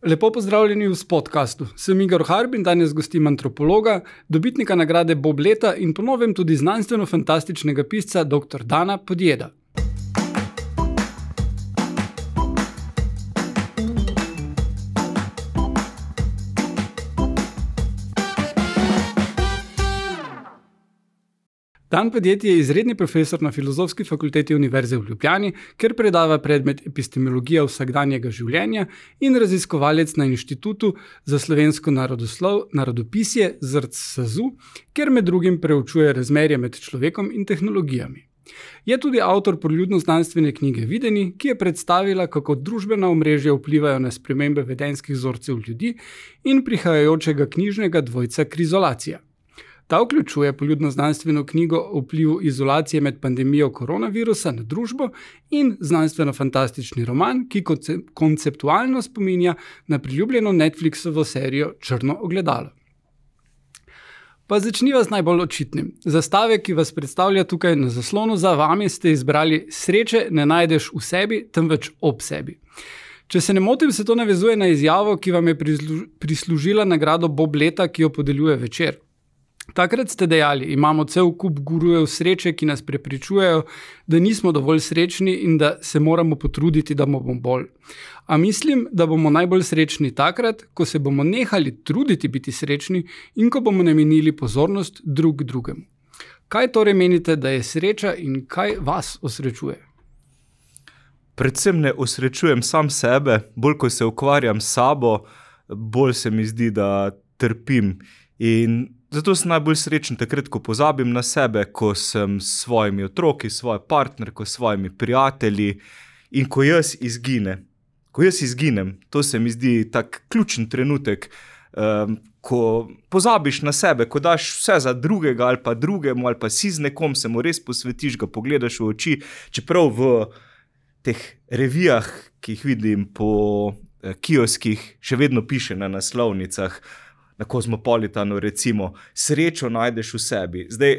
Lepo pozdravljeni v podkastu. Sem Igor Harb in danes gostim antropologa, dobitnika nagrade Bob leta in po novem tudi znanstveno-fantastičnega pisca dr. Dana Podjeda. Dan Podjed je izredni profesor na Filozofski fakulteti Univerze v Ljubljani, kjer predava predmet epistemologija vsakdanjega življenja in raziskovalec na Inštitutu za slovensko narodopisje ZRC SAZU, kjer med drugim preučuje razmerje med človekom in tehnologijami. Je tudi avtor poljudno-znanstvene knjige Videni, ki je predstavila, kako družbena omrežja vplivajo na spremembe vedenjskih vzorcev ljudi in prihajajočega knjižnega dvojca Krizolacija. Ta vključuje poljudno-znanstveno knjigo o vplivu izolacije med pandemijo koronavirusa na družbo in znanstveno-fantastični roman, ki konceptualno spominja na priljubljeno Netflixovo serijo Črno ogledalo. Pa začniva z najbolj očitnim. Zastave, ki vas predstavlja tukaj na zaslonu za vami, ste izbrali Sreče ne najdeš v sebi, temveč ob sebi. Če se ne motim, se to navezuje na izjavo, ki vam je prislužila nagrado Bob leta, ki jo podeljuje Večer. Takrat ste dejali, imamo cel kup gurujev sreče, ki nas prepričujejo, da nismo dovolj srečni in da se moramo potruditi, da bomo bolj. A mislim, da bomo najbolj srečni takrat, ko se bomo nehali truditi biti srečni in ko bomo namenili pozornost drug drugemu. Kaj torej menite, da je sreča in kaj vas osrečuje? Predvsem ne osrečujem sam sebe, bolj ko se ukvarjam s sabo, bolj se mi zdi, da trpim. In zato sem najbolj srečen takrat, ko pozabim na sebe, ko sem s svojimi otroki, svojo partnerko, s svojimi prijatelji in ko jaz izginem. Ko jaz izginem, to se mi zdi tak ključen trenutek, ko pozabiš na sebe, ko daš vse za drugega ali pa drugemu ali pa si z nekom, se mu res posvetiš, ga pogledaš v oči, čeprav v teh revijah, ki jih vidim po kioskih, še vedno piše na naslovnicah, na Kozmopolitanu recimo, srečo najdeš v sebi. Zdaj,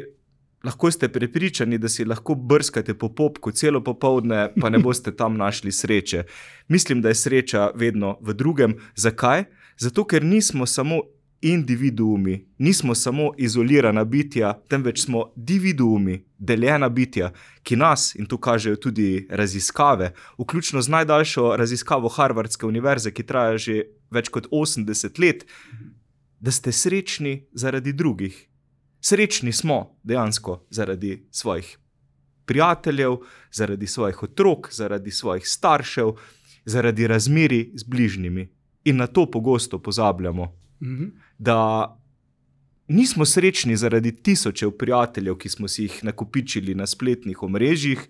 lahko ste prepričani, da si lahko brskate po popku celo popoldne, pa ne boste tam našli sreče. Mislim, da je sreča vedno v drugem. Zakaj? Zato, ker nismo samo individuumi, nismo samo izolirana bitja, temveč smo dividuumi, deljena bitja, ki nas, in to kažejo tudi raziskave, vključno z najdaljšo raziskavo Harvardske univerze, ki traja že več kot 80 let, da ste srečni zaradi drugih. Srečni smo dejansko zaradi svojih prijateljev, zaradi svojih otrok, zaradi svojih staršev, zaradi razmerij z bližnjimi. In na to pogosto pozabljamo. Da nismo srečni zaradi tisočev prijateljev, ki smo si jih nakopičili na spletnih omrežjih,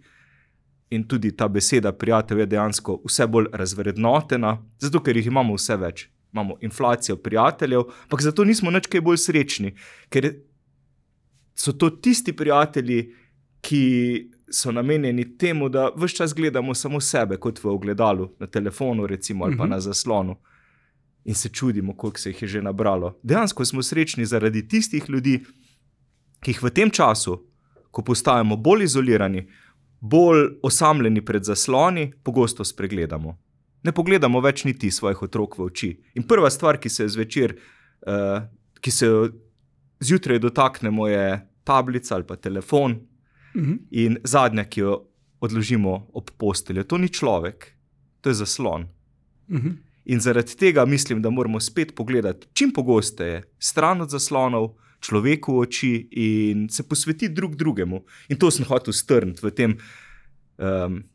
in tudi ta beseda prijatelj je dejansko vse bolj razvrednotena, zato ker jih imamo vse več. Imamo inflacijo prijateljev, ampak zato nismo nič kaj bolj srečni, ker so to tisti prijatelji, ki so namenjeni temu, da ves čas gledamo samo sebe, kot v ogledalu, na telefonu recimo ali pa na zaslonu in se čudimo, koliko se jih je že nabralo. Dejansko smo srečni zaradi tistih ljudi, ki jih v tem času, ko postajamo bolj izolirani, bolj osamljeni pred zasloni, pogosto spregledamo. Ne pogledamo več niti svojih otrok v oči. In prva stvar, ki se zvečer, ki se zjutraj dotaknemo, je tablica ali pa telefon. In zadnja, ki jo odložimo ob posteljo, to ni človek, to je zaslon. In zaradi tega mislim, da moramo spet pogledati čim pogosteje stran od zaslonov, človeku v oči in se posvetiti drug drugemu. In to sem hotel strniti v tem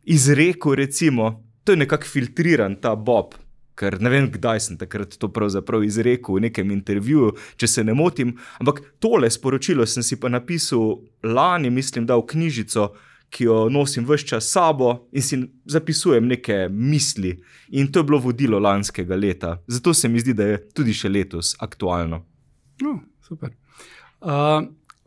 izreku recimo. To je nekako filtriran ta Bob, ker ne vem, kdaj sem takrat to pravzaprav izrekel v nekem intervjuju, če se ne motim, ampak tole sporočilo sem si pa napisal lani, mislim, da v knjižico, ki jo nosim ves čas s sabo in si zapisujem neke misli. In to je bilo vodilo lanskega leta. Zato se mi zdi, da je tudi še letos aktualno. Super.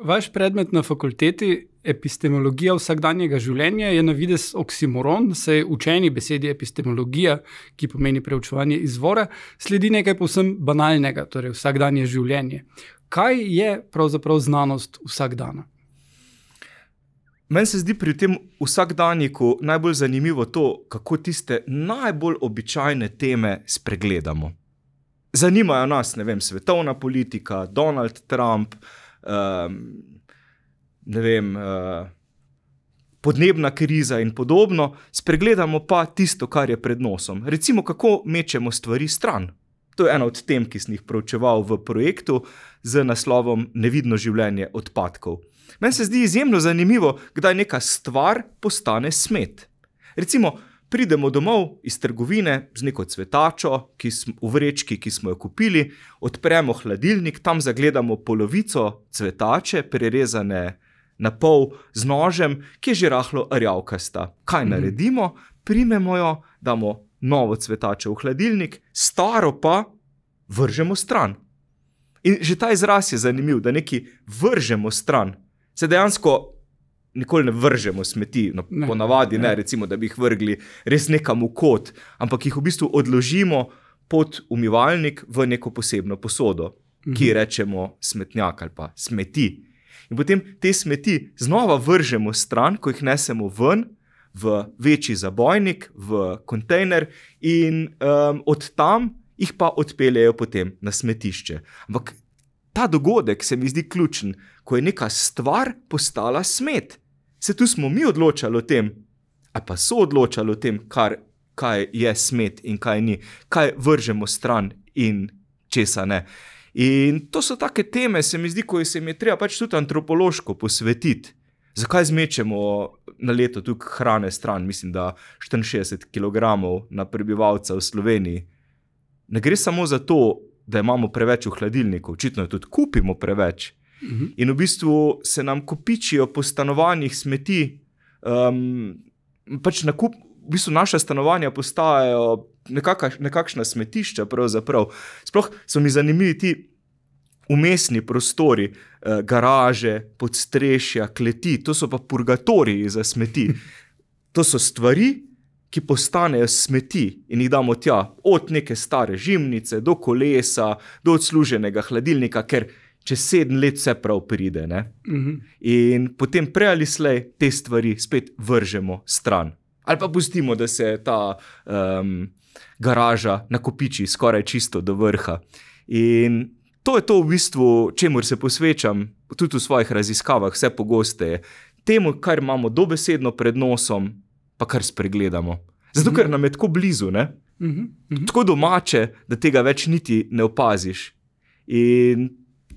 Vaš predmet na fakulteti, epistemologija vsakdanjega življenja, je na videz oksimoron, saj učeni besedi epistemologija, ki pomeni preučevanje izvora, sledi nekaj povsem banalnega, torej vsakdanje življenje. Kaj je pravzaprav znanost vsakdana? Meni se zdi pri tem vsakdanjiku najbolj zanimivo to, kako tiste najbolj običajne teme spregledamo. zanimajo nas, ne vem, svetovna politika, Donald Trump, ne vem, podnebna kriza in podobno, spregledamo pa tisto, kar je pred nosom. Recimo, kako mečemo stvari stran. To je ena od tem, ki sem jih proučeval v projektu z naslovom Nevidno življenje odpadkov. Meni se zdi izjemno zanimivo, kdaj neka stvar postane smet. Recimo, pridemo domov iz trgovine z neko cvetačo v vrečki, ki smo jo kupili, odpremo hladilnik, tam zagledamo polovico cvetače, prerezane na pol z nožem, ki je že rahlo rjavkasta. Kaj naredimo? Primemo jo, damo novo cvetačo v hladilnik, staro pa vržemo stran. In že ta izraz je zanimiv, da nekaj vržemo stran. Se dejansko nikoli ne vržemo smeti, no, ponavadi ne, recimo, da bi jih vrgli res nekam v kot, ampak jih v bistvu odložimo pod umivalnik v neko posebno posodo, ki rečemo smetnjak ali pa smeti. In potem te smeti znova vržemo stran, ko jih nesemo ven, v večji zabojnik, v kontejner in od tam jih pa odpeljejo potem na smetišče. Ampak ta dogodek se mi zdi ključen, ko je neka stvar postala smet. Se tu smo mi odločali o tem, ali pa so odločali o tem, kaj je smet in kaj ni, kaj vržemo stran in česa ne. In to so take teme, se mi zdi, ko se mi je treba pač tudi antropološko posvetiti. Zakaj zmečemo na leto tukaj hrane stran, mislim, da 64 kg na prebivalca v Sloveniji. Ne gre samo za to, da imamo preveč v hladilniku, očitno tudi kupimo preveč. In v bistvu se nam kopičijo po stanovanjih smeti, pač v bistvu naša stanovanja postajajo nekakšna smetišča pravzaprav. Sploh so mi zanimivi ti umestni prostori, garaže, podstrešja, kleti, to so pa purgatoriji za smeti. To so stvari, ki postanejo smeti in jih damo tja, od neke stare žimnice, do kolesa, do odsluženega hladilnika, ker čez 7 let vse prav pride. Ne? In potem prej ali slej te stvari spet vržemo stran. Ali pa pustimo, da se ta garaža nakopiči skoraj čisto do vrha. In to je to v bistvu, čemur se posvečam tudi v svojih raziskavah, vse pogosteje. Temu, kar imamo dobesedno pred nosom, pa kar spregledamo. Zato, ker nam je tako blizu, ne? Tako domače, da tega več niti ne opaziš. In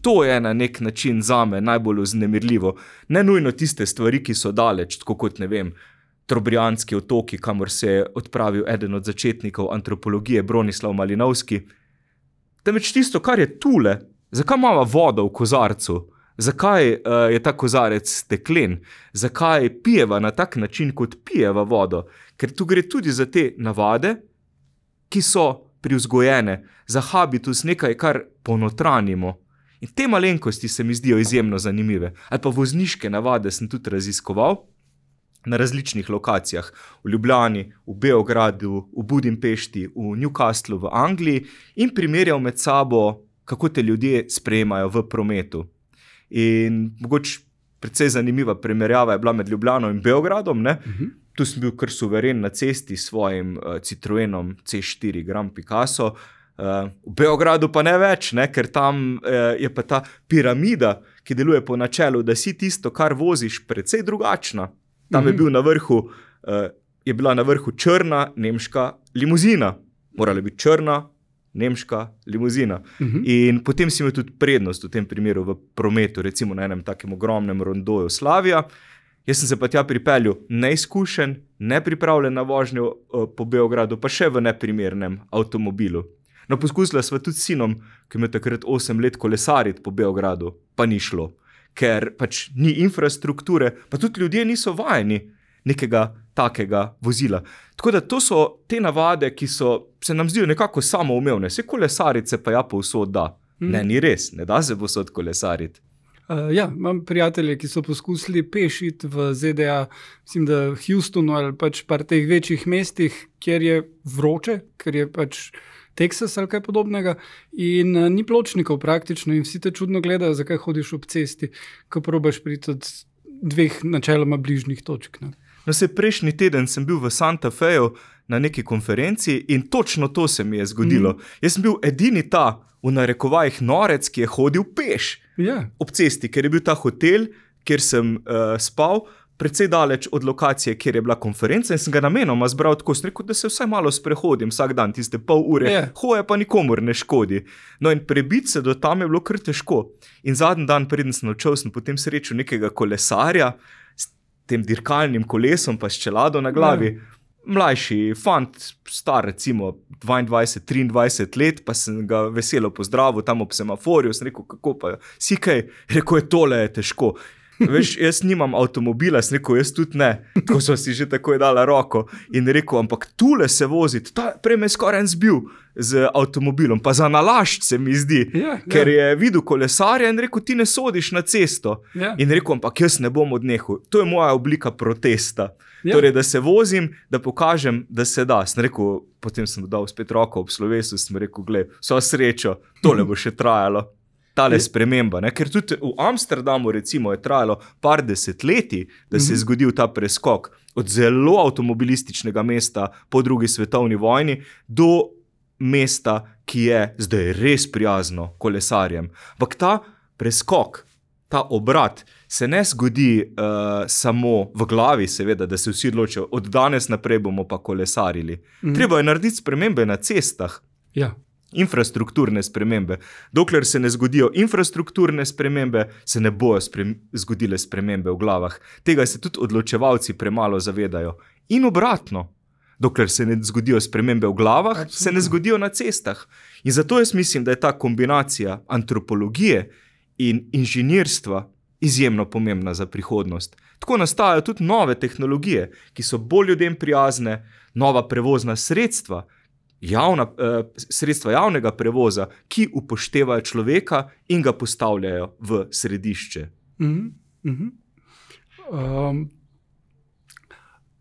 to je na nek način zame najbolj vznemirljivo. Ne nujno tiste stvari, ki so daleč, tako kot, ne vem, Trobrijanski otoki, kamor se je odpravil eden od začetnikov antropologije, Bronislav Malinovski. Temveč tisto, kar je tule, zakaj imamo vodo v kozarcu, zakaj je ta kozarec steklen, zakaj pijeva na tak način, kot pijeva vodo, ker tu gre tudi za te navade, ki so privzgojene, za habitus nekaj, kar ponotranimo. In te malenkosti se mi zdijo izjemno zanimive. Ali pa vozniške navade sem tudi raziskoval na različnih lokacijah. V Ljubljani, v Beogradu, v Budimpešti, v Newcastlu, v Angliji in primerjal med sabo, kako te ljudje sprejemajo v prometu. In mogoče precej zanimiva primerjava je bila med Ljubljano in Beogradom. Ne? Tu sem bil kar suveren na cesti s svojim Citroenom C4 Grand Picasso. V Beogradu pa ne več, ne? Ker tam je pa ta piramida, ki deluje po načelu, da si tisto, kar voziš, precej drugačna. Tam je bila na vrhu črna nemška limuzina. Morala biti črna nemška limuzina. In potem si imel tudi prednost v tem primeru v prometu, recimo na enem takem ogromnem rondoju Slavija. Jaz sem se pa tja pripeljal neizkušen, nepripravljen na vožnjo po Beogradu, pa še v neprimernem avtomobilu. No, poskusila sva tudi s sinom, ki ima takrat 8 let kolesariti po Beogradu, pa ni šlo. Ker pač ni infrastrukture, pa tudi ljudje niso vajeni nekega takega vozila. Tako da to so te navade, ki se nam zdijo nekako samoumevne. Vse kolesarice pa ja povsod da. Ne, ni res, ne da se povsod kolesariti. Ja, imam prijatelje, ki so poskusili peš iti v ZDA, mislim, da v Houstonu ali pač par teh večjih mestih, kjer je vroče, ker je pač Teksas ali kaj podobnega in ni pločnikov praktično in vsi te čudno gledajo, zakaj hodiš ob cesti, ko probaš priti od 2 načeloma bližnjih točk. Ne? No, prejšnji teden sem bil v Santa Feju na neki konferenci in točno to se mi je zgodilo. Jaz sem bil edini ta, v narekovajih, norec, ki je hodil peš ob cesti, ker je bil ta hotel, kjer sem spal, precej daleč od lokacije, kjer je bila konferenca in sem ga namenoma zbral tako, sem rekel, da se vsaj malo sprehodim vsak dan, tiste pol ure, hoje pa nikomur ne škodi. No in prebiti se do tam je bilo kar težko. In zadnji dan, preden sem odšel, sem potem srečal nekega kolesarja s tem dirkalnim kolesom pa s čelado na glavi. Mlajši fant, star recimo 22-23 let, pa sem ga veselo pozdravil tam ob semaforju, sem rekel, kako pa si kaj? Rekel je, tole je težko. Veš, jaz nimam avtomobila, sem rekel, jaz tudi ne. Tako so si že takoj dala roko in rekel, ampak tule se voziti, prej me skoraj zbil z avtomobilom, pa za nalašč se mi zdi, ker je videl kolesarja in rekel, ti ne sodiš na cesto. In rekel, ampak jaz ne bom odnehal. To je moja oblika protesta. Torej, da se vozim, da pokažem, da se da. Sem rekel, potem sem dal spet roko ob slovesu, sem rekel, glej, vso srečo, tole bo še trajalo. Tale sprememba, ne? Ker tudi v Amsterdamu recimo je trajalo par desetletij, da se je zgodil ta preskok od zelo avtomobilističnega mesta po drugi svetovni vojni do mesta, ki je zdaj res prijazno kolesarjem. Ampak ta preskok, ta obrat se ne zgodi samo v glavi, seveda, da se vsi odločijo, od danes naprej bomo pa kolesarili. Treba je narediti spremembe na cestah. Infrastrukturne spremembe. Dokler se ne zgodijo infrastrukturne spremembe, se ne bojo zgodile spremembe v glavah. Tega se tudi odločevalci premalo zavedajo. In obratno, dokler se ne zgodijo spremembe v glavah, se ne zgodijo na cestah. In zato jaz mislim, da je ta kombinacija antropologije in inženirstva izjemno pomembna za prihodnost. Tako nastajajo tudi nove tehnologije, ki so bolj ljudem prijazne, nova prevozna sredstva, sredstva javnega prevoza, ki upoštevajo človeka in ga postavljajo v središče.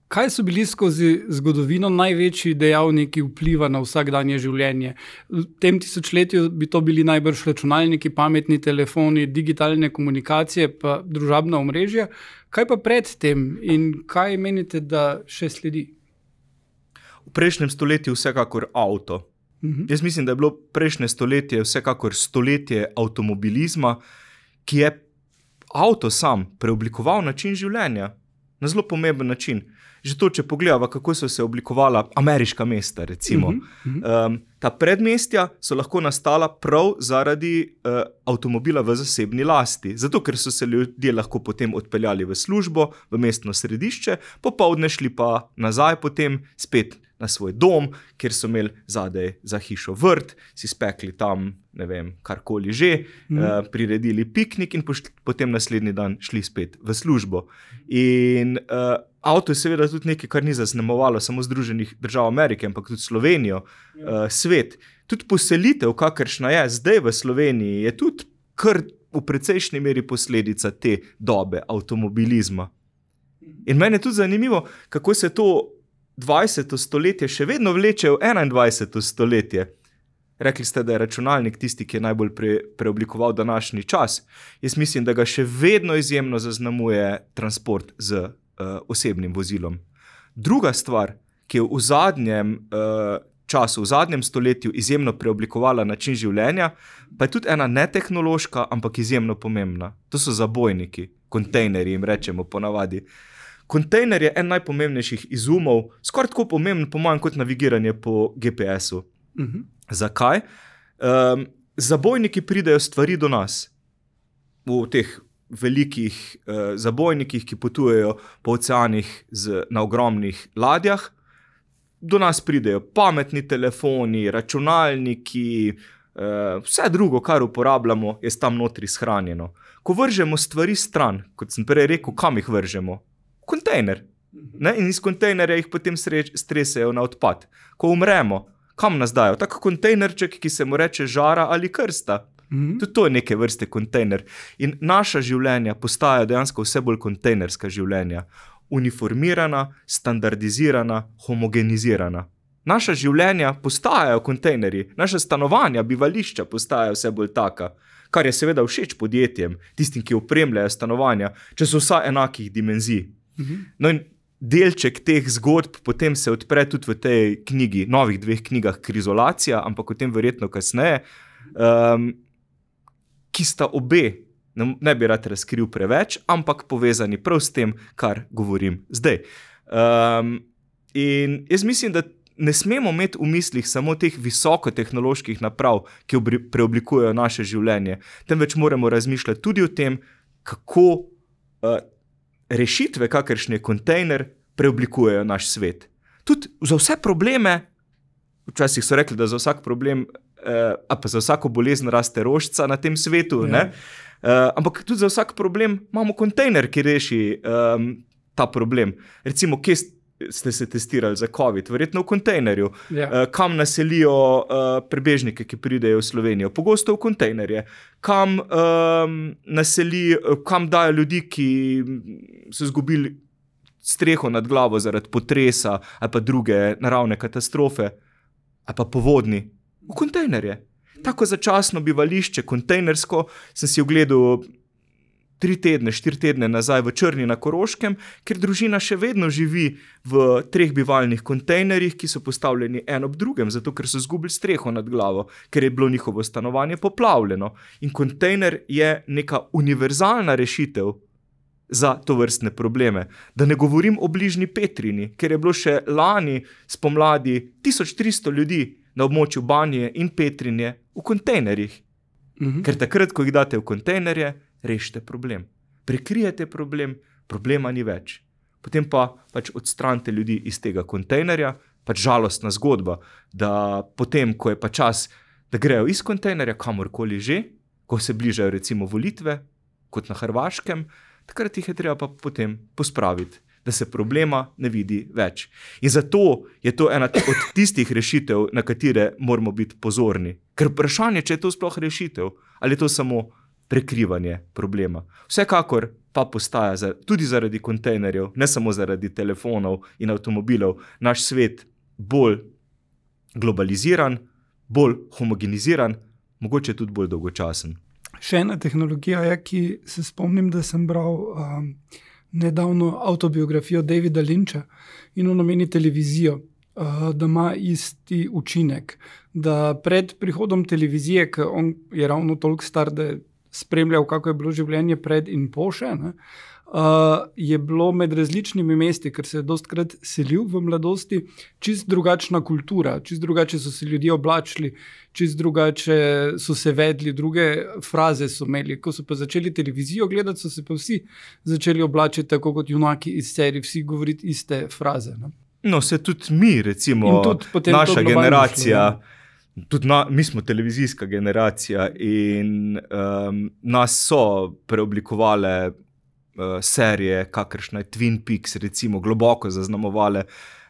Kaj so bili skozi zgodovino največji dejavniki vpliva na vsakdanje življenje? V tem tisočletju bi to bili najbrž računalniki, pametni telefoni, digitalne komunikacije pa družabna omrežja. Kaj pa pred tem in kaj menite, da še sledi? V prejšnjem stoletju vsekakor avto. Jaz mislim, da je bilo prejšnje stoletje vsekakor stoletje avtomobilizma, ki je avto sam preoblikoval način življenja na zelo pomemben način. Že to, če pogledava, kako so se oblikovala ameriška mesta, recimo. Ta predmestja so lahko nastala prav zaradi avtomobila v zasebni lasti. Zato, ker so se ljudje lahko potem odpeljali v službo, v mestno središče, popoldne šli pa nazaj potem spet na svoj dom, kjer so imeli zadaj za hišo vrt, si spekli tam, ne vem, karkoli že, priredili piknik in potem naslednji dan šli spet v službo. In avto je seveda tudi nekaj, kar ni zaznamovalo samo Združenih držav Amerike, ampak tudi Slovenijo, svet. Tudi poselitev, kakršna je zdaj v Sloveniji, je tudi kar v precejšnji meri posledica te dobe avtomobilizma. In meni je tudi zanimivo, kako se to 20. stoletje še vedno vleče v 21. stoletje. Rekli ste, da je računalnik tisti, ki je najbolj preoblikoval današnji čas. Jaz mislim, da ga še vedno izjemno zaznamuje transport z osebnim vozilom. Druga stvar, ki je v zadnjem času, v zadnjem stoletju izjemno preoblikovala način življenja, pa je tudi ena netehnološka, ampak izjemno pomembna. To so zabojniki, kontejnerji jim rečemo ponavadi. Kontejner je en najpomembnejših izumov, skoraj tako pomemben po mojem kot navigiranje po GPS-u. Zakaj? Zabojniki pridejo stvari do nas. V teh velikih zabojnikih, ki potujejo po oceanih na ogromnih ladjah, do nas pridejo pametni telefoni, računalniki, vse drugo, kar uporabljamo, je tam notri shranjeno. Ko vržemo stvari stran, kot sem prej rekel, kam jih vržemo? Kontejner. In iz kontejnerja jih potem stresejo na odpad. Ko umremo, kam nas dajo? Tak kontejnerček, ki se mu reče žara ali krsta. Tudi to je neke vrste kontejner. In naša življenja postajajo dejansko vse bolj kontejnerska življenja. Uniformirana, standardizirana, homogenizirana. Naša življenja postajajo kontejnerji, naša stanovanja, bivališča postajajo vse bolj taka, kar je seveda všeč podjetjem, tistim, ki opremljajo stanovanja, če so vsa enakih dimenzij. No in delček teh zgodb potem se odpre tudi v tej knjigi, novih 2 knjigah Krizolacija, ampak o tem verjetno kasneje, ki sta obe, ne bi rad razkril preveč, ampak povezani prav s tem, kar govorim zdaj. In jaz mislim, da ne smemo imeti v mislih samo teh visokotehnoloških naprav, ki preoblikujejo naše življenje, temveč moramo razmišljati tudi o tem, kako rešitve, kakršne kontejner, preoblikujejo naš svet. Tudi za vse probleme, včasih so rekli, da za vsak problem, a pa za vsako bolezen raste rožica na tem svetu, ne? Ampak tudi za vsak problem imamo kontejner, ki reši ta problem. Recimo, kje ste se testirali za COVID? Verjetno v kontejnerju. Kam naselijo prebežnike, ki pridejo v Slovenijo? Pogosto v kontejnerje. Kam dajo ljudi, ki so izgubili streho nad glavo zaradi potresa ali pa druge naravne katastrofe ali pa povodni? V kontejnerje. Tako začasno bivališče, kontejnersko, sem si ogledal 3 tedne, 4 tedne nazaj v Črni na Koroškem, ker družina še vedno živi v 3 bivalnih kontejnerjih, ki so postavljeni en ob drugem, zato ker so izgubili streho nad glavo, ker je bilo njihovo stanovanje poplavljeno. In kontejner je neka univerzalna rešitev za tovrstne probleme. Da ne govorim o bližnji Petrini, ker je bilo še lani spomladi 1300 ljudi na območju Banije in Petrinje v kontejnerjih. Ker takrat, ko jih date v kontejnerje, rešite problem. Prekrijete problem, problema ni več. Potem pa pač odstranite ljudi iz tega kontejnerja, pač žalostna zgodba, da potem, ko je pa čas, da grejo iz kontejnerja kamorkoli že, ko se bližajo recimo volitve, kot na Hrvaškem, takrat jih je treba pa potem pospraviti, da se problema ne vidi več. In zato je to ena od tistih rešitev, na katere moramo biti pozorni. Ker vprašanje, če je to sploh rešitev, ali je to samo prekrivanje problema. Vsekakor pa postaja tudi zaradi kontejnerjev, ne samo zaradi telefonov in avtomobilov, naš svet bolj globaliziran, bolj homogeniziran, mogoče tudi bolj dolgočasen. Še ena tehnologija je, ki se spomnim, da sem bral nedavno avtobiografijo Davida Lyncha in on omeni televizijo, da ima isti učinek, da pred prihodom televizije, ker on je ravno toliko star, da je spremljal, kako je bilo življenje pred in po še, je bilo med različnimi mesti, ker se je dostikrat selil v mladosti, čist drugačna kultura, čist drugače so se ljudje oblačili, čist drugače so se vedli, druge fraze so imeli. Ko so pa začeli televizijo gledati, so se pa vsi začeli oblačiti tako kot junaki iz serij, vsi govoriti iste fraze. No, se tudi mi, recimo, naša generacija, tudi mi smo televizijska generacija in nas so preoblikovale serije, kakršna je Twin Peaks, recimo, globoko zaznamovale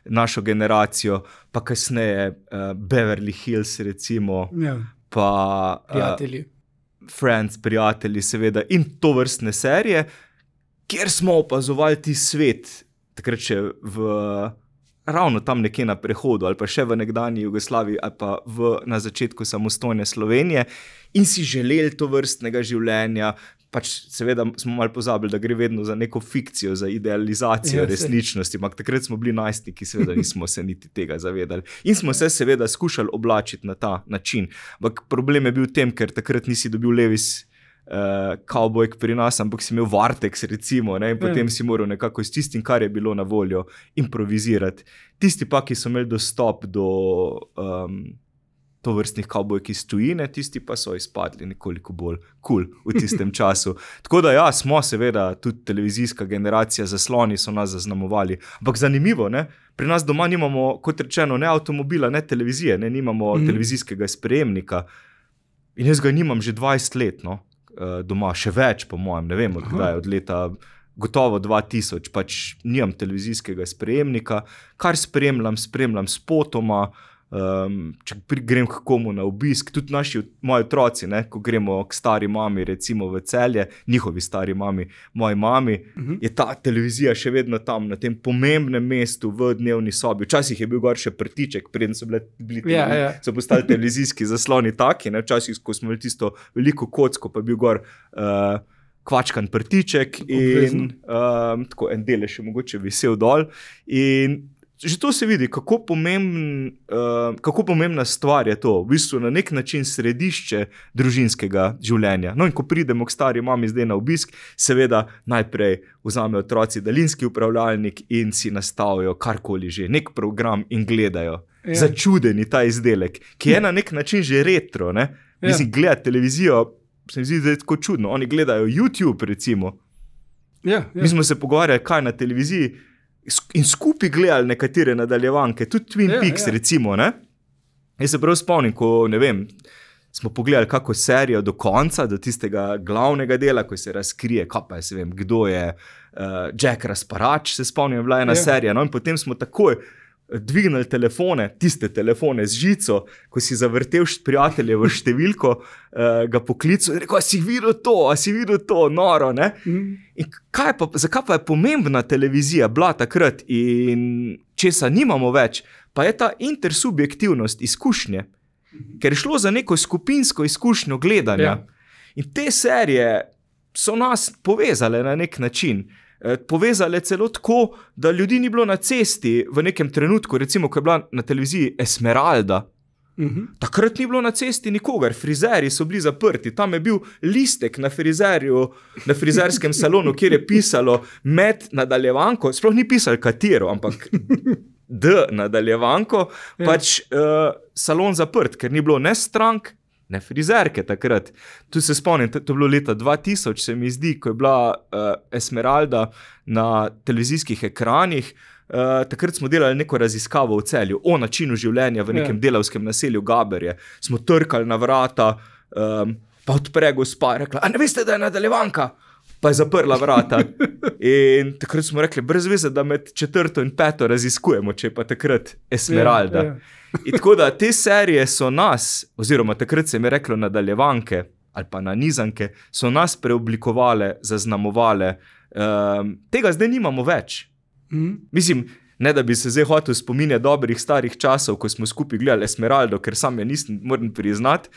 našo generacijo, pa kasneje Beverly Hills, recimo, pa Prijatelji. Friends, Prijatelji, seveda, in tovrstne serije, kjer smo opazovali ti svet, takrat še ravno tam nekje na prehodu, ali pa še v nekdanji Jugoslaviji, ali pa na začetku samostojne Slovenije, in si želeli tovrstnega življenja. Pač seveda smo malo pozabili, da gre vedno za neko fikcijo, za idealizacijo resničnosti, ampak takrat smo bili najstniki, seveda nismo se niti tega zavedali. In smo se seveda skušali oblačiti na ta način. Ampak problem je bil v tem, ker takrat nisi dobil Levis kavbojk pri nas, ampak si imel Vartex, recimo, ne? In potem si moral nekako s tistim, kar je bilo na voljo, improvizirati. Tisti pa, ki so imeli dostop do tovrstnih kavbojk iz tujine, tisti pa so izpadli nekoliko bolj cool v tistem času. Tako da ja, smo seveda tudi televizijska generacija, zasloni so nas zaznamovali. Ampak zanimivo, ne? Pri nas doma nimamo, kot rečeno, ne avtomobila, ne televizije, ne, nimamo televizijskega sprejemnika. In jaz ga nimam že 20 let, no? Doma, še več po mojem, ne vem, od leta gotovo 2000, pač nimam televizijskega sprejemnika, kar spremljam spotoma, če grem k komu na obisk, tudi moji otroci, ne, ko gremo k stari mami, recimo v Celje, njihovi stari mami, moji mami, je ta televizija še vedno tam, na tem pomembnem mestu v dnevni sobi. Včasih je bil gor še prtiček, preden so so postali televizijski zasloni taki, ne, včasih, ko smo imeli tisto veliko kocko, pa je bil gor kvačkan prtiček in tako en delež je mogoče visel dol. In že to se vidi, kako pomembna stvar je to, v bistvu na nek način središče družinskega življenja. No in ko pridemo k stari mami zdaj na obisk, seveda najprej vzamejo otroci daljinski upravljalnik in si nastavijo karkoli že, nek program in gledajo. Ja. Začudeni ta izdelek, ki je na nek način že retro, ne? Mislim, gledati televizijo, se mi zdi, da je tako čudno. Oni gledajo YouTube, recimo. Ja. Mi smo se pogovarjali, kaj na televiziji, in skupaj gledali nekatere nadaljevanke, tudi Twin Peaks, recimo, ne? Jaz se prav spomnim, ko, ne vem, smo pogledali kako serijo do konca, do tistega glavnega dela, ko se razkrije, kaj pa se vem, kdo je Jack Rasparač, se spomnim, bila ena serija, no, in potem smo takoj dvignili telefone, tiste telefone z žico, ko si zavrtel prijateljevo številko, ga poklical in rekel, a si videl to, noro, ne? In zakaj pa je pomembna televizija bila takrat in česa nimamo več, pa je ta intersubjektivnost izkušnje, ker je šlo za neko skupinsko izkušnjo gledanja. Ja. In te serije so nas povezale na nek način. Povezale celo tako, da ljudi ni bilo na cesti v nekem trenutku, recimo, ko je bila na televiziji Esmeralda. Takrat ni bilo na cesti nikogar, frizerji so bili zaprti, tam je bil listek na frizerskem salonu, kjer je pisalo med nadaljevanko, sploh ni pisalo katero, ampak nadaljevanko, pač salon zaprt, ker ni bilo ne strank, ne frizerke takrat. Tu se spomnim, to je bilo leta 2000, se mi zdi, ko je bila Esmeralda na televizijskih ekranih. Takrat smo delali neko raziskavo v Celju o načinu življenja v nekem delavskem naselju Gaberje. Smo trkali na vrata, pa odpre gospa, rekla, a ne veste, da je nadaljevanka? Pa je zaprla vrata. In takrat smo rekli, brez veze, da med 4. in 5. raziskujemo, če je pa takrat Esmeralda. In tako da te serije so nas, oziroma takrat se mi je reklo nadaljevanke ali pa nanizanke, so nas preoblikovale, zaznamovale. Tega zdaj nimamo več. Mislim, ne da bi se zdaj hotel spominjati dobrih starih časov, ko smo skupaj gledali Esmeraldo, ker sam je nisem, moram priznati.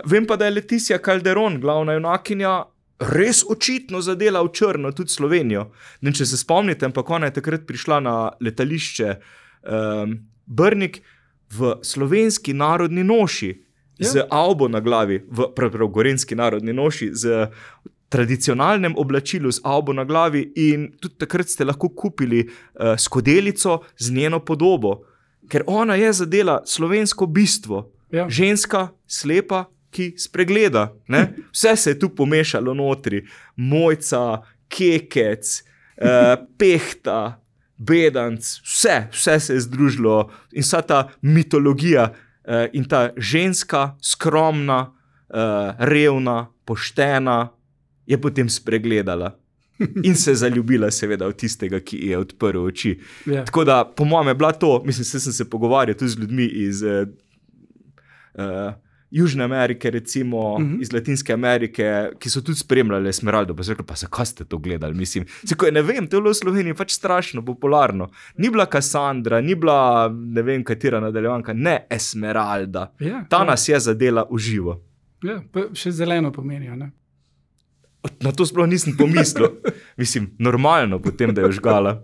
Vem pa, da je Leticia Calderon, glavna junakinja, res očitno zadela v črno tudi Slovenijo. In če se spomnite, ampak ona je takrat prišla na letališče Brnik v slovenski narodni noši, z avbo na glavi, prav gorenjski narodni noši, z tradicionalnem oblačilu z avbo na glavi in tudi takrat ste lahko kupili skodelico z njeno podobo, ker ona je zadela slovensko bistvo. Ženska, slepa, ki spregleda. Ne? Vse se je tu pomešalo notri. Mojca, kekec, pehta, bedanc, vse se je združilo in vsa ta mitologija in ta ženska, skromna, revna, poštena, je potem spregledala in se zaljubila seveda v tistega, ki je odprl oči. Tako da, po mojem je bila to, mislim, sem se pogovarjal tudi z ljudmi iz Južne Amerike, recimo, iz Latinske Amerike, ki so tudi spremljali Esmeraldo, pa so rekli, pa zakaj ste to gledali, mislim. Ne vem, to je bilo v Sloveniji pač strašno popularno. Ni bila Cassandra, ni bila ne vem katera nadaljevanka, ne Esmeralda. Ta nas je zadela v živo. Ja, pa še zeleno pomenijo, ne? Na to sploh nisem pomislil. Mislim, normalno potem, da je žgala.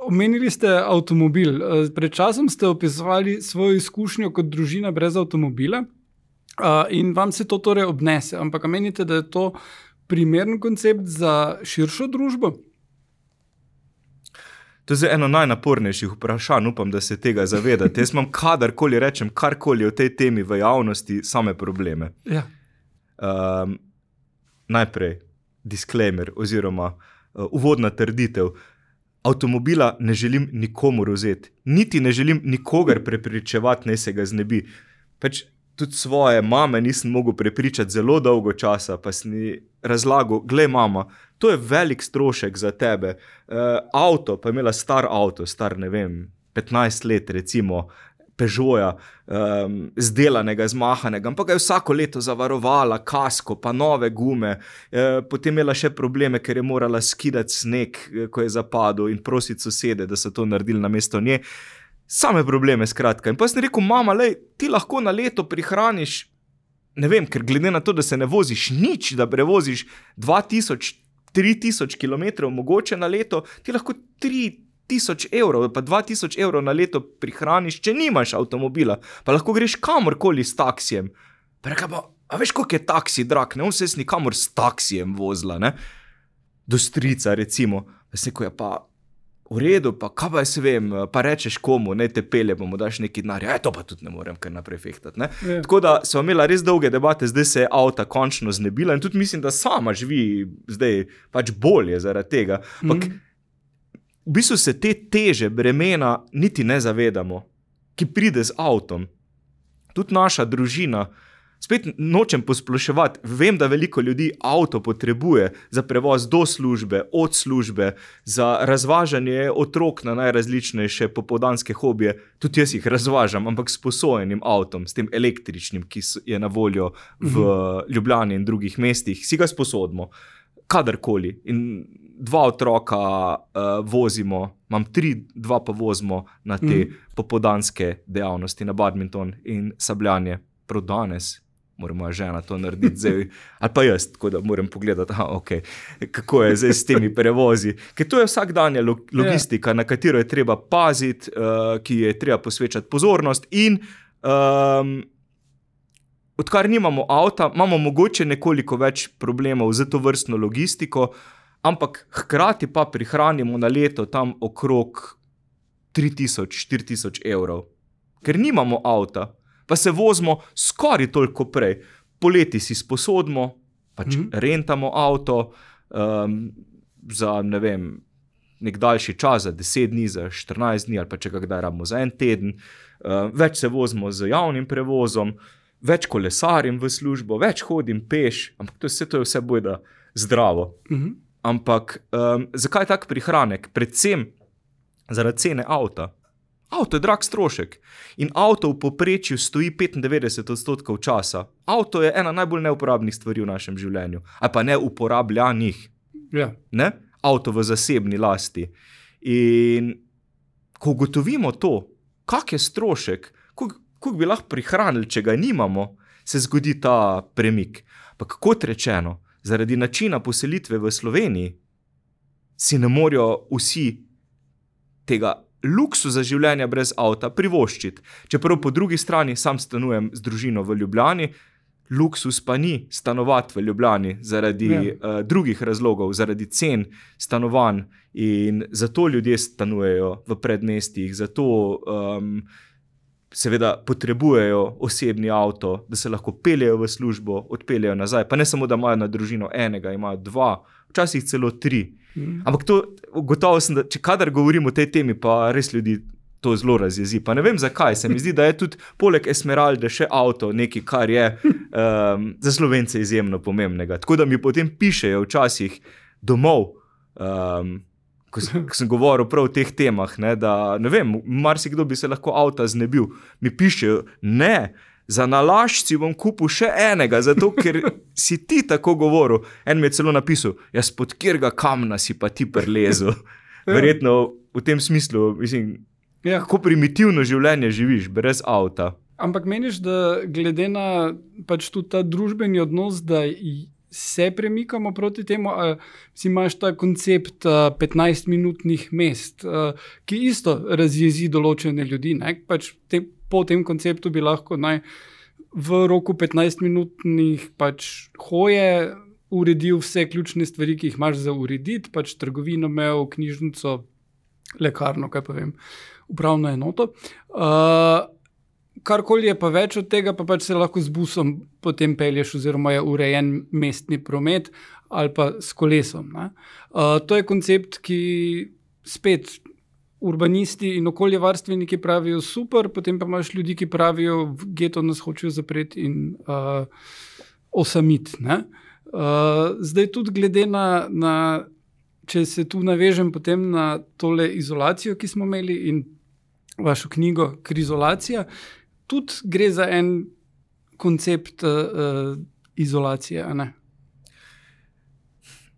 Omenili ste avtomobil. Pred časom ste opisovali svojo izkušnjo kot družina brez avtomobila in vam se to torej obnese. Ampak menite, da je to primeren koncept za širšo družbo? To je eno najnapornejših vprašanj, upam, da se tega zavedate. Jaz imam kadarkoli rečem, karkoli o tej temi v javnosti, same probleme. Ja. Najprej disclaimer oziroma uvodna trditev. Avtomobila ne želim nikomur vzeti. Niti ne želim nikogar prepričevati, naj se ga znebi. Pač tudi svoje mame nisem mogel prepričati zelo dolgo časa, pa sem razlagal, glej mama, to je velik strošek za tebe. Avto, pa je imela star avto, star ne vem, 15 let recimo, Peugeota, zdelanega, zmahanega, ampak ga je vsako leto zavarovala, kasko, pa nove gume, potem imela še probleme, ker je morala skidati sneg, ko je zapadel in prositi sosede, da so to naredili namesto nje. Same probleme, skratka. In pa sem rekel, mama, lej, ti lahko na leto prihraniš ne vem, ker glede na to, da se ne voziš nič, da prevoziš 2000-3000 km mogoče na leto, ti lahko 3000 evrov, pa 2000 evrov na leto prihraniš, če nimaš avtomobila, pa lahko greš kamorkoli s taksijem. Pa reka pa, a veš, koliko je taksi drag, ne, on se nikamor s taksijem vozila, ne, do strica recimo, pa se neko je pa v redu, pa kaj pa jaz vem, pa rečeš komu, ne te pelje, pa mu daš neki denar, to pa tudi ne morem kar naprej fehtati, ne. Yeah. Tako da so imela res dolge debate, zdaj se je avta končno znebila in tudi mislim, da sama živi zdaj pač bolje zaradi tega. Ampak v bistvu se te teže bremena niti ne zavedamo, ki pride z avtom. Tudi naša družina, spet nočem posploševati, vem, da veliko ljudi avto potrebuje za prevoz do službe, od službe, za razvažanje otrok na najrazličnejše popoldanske hobije. Tudi jaz jih razvažam, ampak s posojenim avtom, s tem električnim, ki je na voljo v Ljubljani in drugih mestih, si ga sposodimo, kadarkoli. In 2 otroka vozimo, imam 3, 2 pa vozimo na te popoldanske dejavnosti, na badminton in sabljanje. Prav danes mora moja žena to narediti zdaj, ali pa jaz, tako da moram pogledati, kako je zdaj s temi prevozi. Ker to je vsakdanja logistika, na katero je treba paziti, ki je treba posvečati pozornost in odkar nimamo avta, imamo mogoče nekoliko več problemov z to vrstno logistiko, ampak hkrati pa prihranimo na leto tam okrog 3000-4000 evrov. Ker nimamo avta, pa se vozimo skoraj toliko prej. Poleti si sposodimo, pač rentamo avto za, ne vem, nek daljši čas, za 10 dni, za 14 dni, ali pa če ga kdaj rabimo za 1 teden. Več se vozimo z javnim prevozom, več kolesarim v službo, več hodim peš, ampak to je vse bojda zdravo. Ampak zakaj tak prihranek? Predvsem zaradi cene avta. Avto je drag strošek in avto v povprečju stoji 95% časa. Avto je ena najbolj neuporabnih stvari v našem življenju, ali pa neuporabljanih. Yeah. Ne? Avto v zasebni lasti. In ko ugotovimo to, kak je strošek, koliko bi lahko prihranili, če ga nimamo, se zgodi ta premik. Pa kot rečeno, zaradi načina poselitve v Sloveniji si ne morejo vsi tega luksuza življenja brez avta privoščiti. Čeprav po drugi strani sam stanujem z družino v Ljubljani, luksus pa ni stanovati v Ljubljani zaradi drugih razlogov, zaradi cen stanovanj in zato ljudje stanujejo v predmestjih, zato seveda potrebujejo osebni avto, da se lahko peljejo v službo, odpeljejo nazaj, pa ne samo, da imajo na družino enega, imajo 2, včasih celo 3. Ampak to, gotovo sem, da če kadar govorim o tej temi, pa res ljudi to zelo razjezi. Pa ne vem zakaj, se mi zdi, da je tudi poleg Esmeralde še avto nekaj, kar je za Slovence izjemno pomembnega. Tako da mi potem pišejo včasih domov, ko sem govoril prav o teh temah, ne, da ne vem, marsikdo bi se lahko avta znebil. Mi pišejo, ne, za nalašč si bom kupil še enega, zato ker si ti tako govoril. En mi je celo napisal, jaz pod kjerga kamna si pa ti prelezel. Verjetno v tem smislu, mislim, kako primitivno življenje živiš, brez avta. Ampak meniš, da glede na pač tudi ta družbeni odnos, da se premikamo proti temu, si imaš ta koncept 15-minutnih mest, ki isto razjezi določene ljudi, ne? Pač po tem konceptu bi lahko v roku 15-minutnih pač hoje uredil vse ključne stvari, ki jih imaš za urediti, pač trgovino imel, knjižnico, lekarno, kaj pa vem, upravno enoto. Karkoli je pa več od tega, pa pač se lahko z busom potem pelješ, oziroma je urejen mestni promet ali pa s kolesom. Ne? To je koncept, ki spet urbanisti in okoljevarstveniki pravijo super, potem pa imaš ljudi, ki pravijo, v geto nas hočejo zapreti in osamiti. Zdaj tudi glede na, če se tu navežem potem na tole izolacijo, ki smo imeli in vašo knjigo Krizolacija, tudi gre za en koncept izolacije, a ne?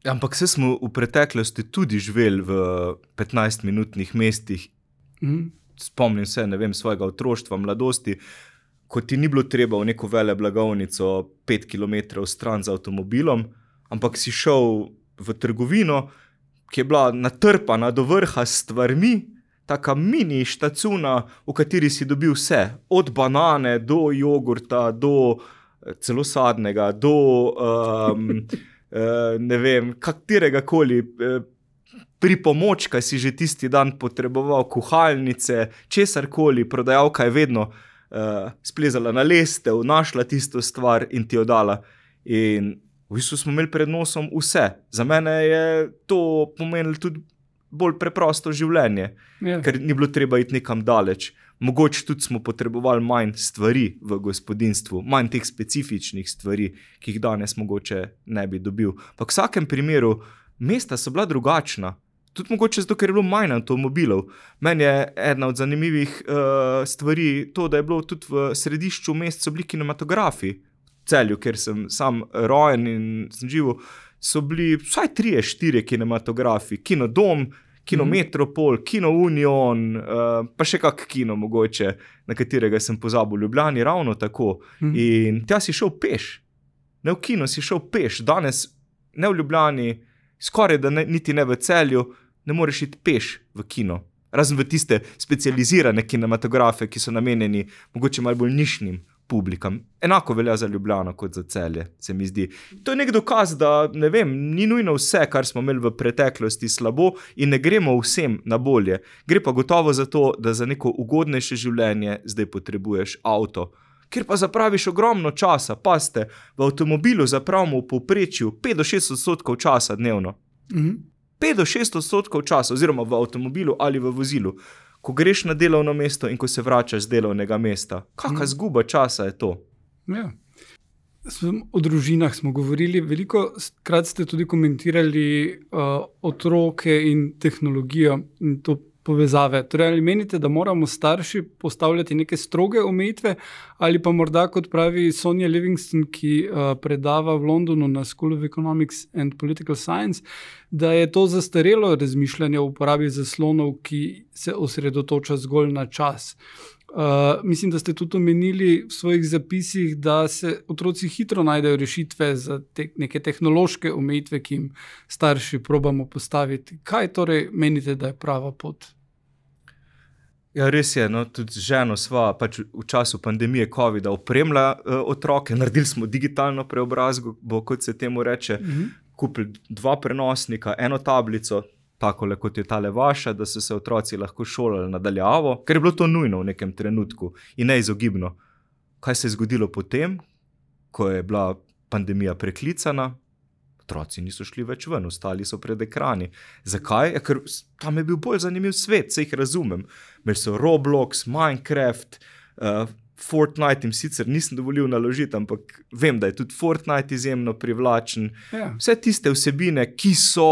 Ampak se smo v preteklosti tudi živeli v 15-minutnih mestih. Spomnim se, ne vem, svojega otroštva, mladosti. ko ti ni bilo treba v neko veleblagovnico 5 km stran z avtomobilom, ampak si šel v trgovino, ki je bila natrpana do vrha s stvarmi, taka mini štacuna, v kateri si dobil vse, od banane do jogurta, do celo sadnega, do ne vem, katerega koli pripomočka si že tisti dan potreboval, kuhalnice, česarkoli, prodajalka je vedno splezala na lestev, našla tisto stvar in ti jo dala. In v bistvu smo imeli pred nosom vse. Za mene je to pomenilo tudi bolj preprosto življenje, ker ni bilo treba iti nekam daleč. Mogoče tudi smo potrebovali manj stvari v gospodinjstvu, manj teh specifičnih stvari, ki jih danes mogoče ne bi dobil. Pa v vsakem primeru mesta so bila drugačna. Tudi mogoče zato, ker je bilo manj avtomobilov. Meni je ena od zanimivih stvari to, da je bilo tudi v središču mest so bili kinematografi. V Celju, ker sem sam rojen in sem živel, so bili vsaj 3-4 kinematografi. Kino Dom, Kino Metropol, Kino Union, pa še kak kino mogoče, na katerega sem pozabil v Ljubljani, ravno tako. In tja si šel peš. Ne v kino si šel peš. Danes ne v Ljubljani, skoraj da niti ne v Celju, ne moreš iti peš v kino. Razen v tiste specializirane kinematografe, ki so namenjeni mogoče malo bolj nišnim publikam. Enako velja za Ljubljano kot za Celje, se mi zdi. To je nek dokaz, da ne vem, ni nujno vse, kar smo imeli v preteklosti slabo in ne gremo vsem na bolje. Gre pa gotovo za to, da za neko ugodnejše življenje zdaj potrebuješ avto. Ker pa zapraviš ogromno časa, pazite, v avtomobilu zapravimo v povprečju 5-6% časa dnevno. 5-6% časa, oziroma v avtomobilu ali v vozilu. Ko greš na delovno mesto in ko se vračaš z delovnega mesta. Kakšna zguba časa je to? Ja. O družinah smo govorili, veliko krat ste tudi komentirali otroke in tehnologijo in to povezave. Torej, ali menite, da moramo starši postavljati neke stroge omejitve ali pa morda, kot pravi Sonja Livingston, ki predava v Londonu na School of Economics and Political Science, da je to zastarelo razmišljanje o uporabi zaslonov, ki se osredotoča zgolj na čas. Mislim, da ste tudi omenili v svojih zapisih, da se otroci hitro najdejo rešitve za neke tehnološke omejitve, ki jim starši probamo postaviti. Kaj torej menite, da je prava pot? Ja, res je, no, tudi z ženo sva pač v času pandemije covida opremila otroke, naredili smo digitalno preobrazbo, kot se temu reče, kupili 2 prenosnika, 1 tablico, takole kot je tale vaša, da so se otroci lahko šolali nadaljavo, ker je bilo to nujno v nekem trenutku in neizogibno. Kaj se je zgodilo potem, ko je bila pandemija preklicana? Otroci niso šli več ven, ostali so pred ekrani. Zakaj? Ja, ker tam je bil bolj zanimiv svet, se jih razumem. Imeli so Roblox, Minecraft, Fortnite jim sicer nisem dovolil naložiti, ampak vem, da je tudi Fortnite izjemno privlačen. Ja. Vse tiste vsebine, ki so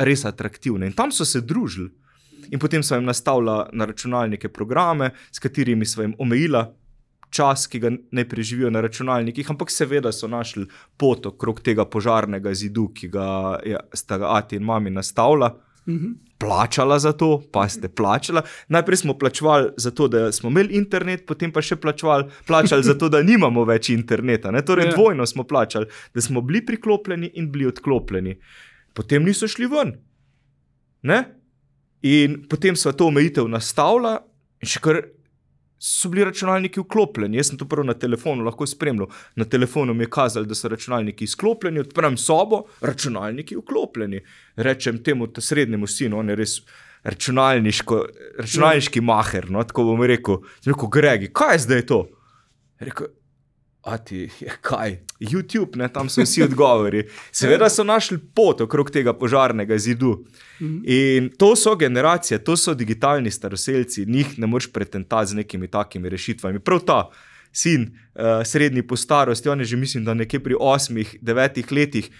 res atraktivne. In tam so se družili. In potem so jim nastavila na računalnike programe, s katerimi so jim omejila čas, ki ga ne preživijo na računalnikih, ampak seveda so našli pot okrog tega požarnega zidu, ki ga sta ga ati in mami nastavila. Plačala za to, pa ste plačala. Najprej smo plačevali za to, da smo imeli internet, potem pa še plačali za to, da nimamo več interneta. Ne? Torej dvojno smo plačali, da smo bili priklopljeni in bili odklopljeni. Potem niso šli ven. Ne? In potem so to omejitev nastavila in še kar so bili računalniki vklopljeni. Jaz sem to prvo na telefonu lahko spremljal. Na telefonu mi je kazali, da so računalniki izklopljeni, odprem sobo, računalniki vklopljeni. Rečem temu srednjemu sinu, on je res računalniški maher, no, tako bom rekel. Sem rekel, Gregi, kaj je zdaj to? Rekel, ati, kaj? YouTube, ne, tam so vsi odgovori. Seveda so našli pot okrog tega požarnega zidu. In to so generacije, to so digitalni staroselci, njih ne moreš pretentati z nekimi takimi rešitvami. Prav ta sin, srednji po starosti, on je že mislim, da nekje pri 8-9 letih,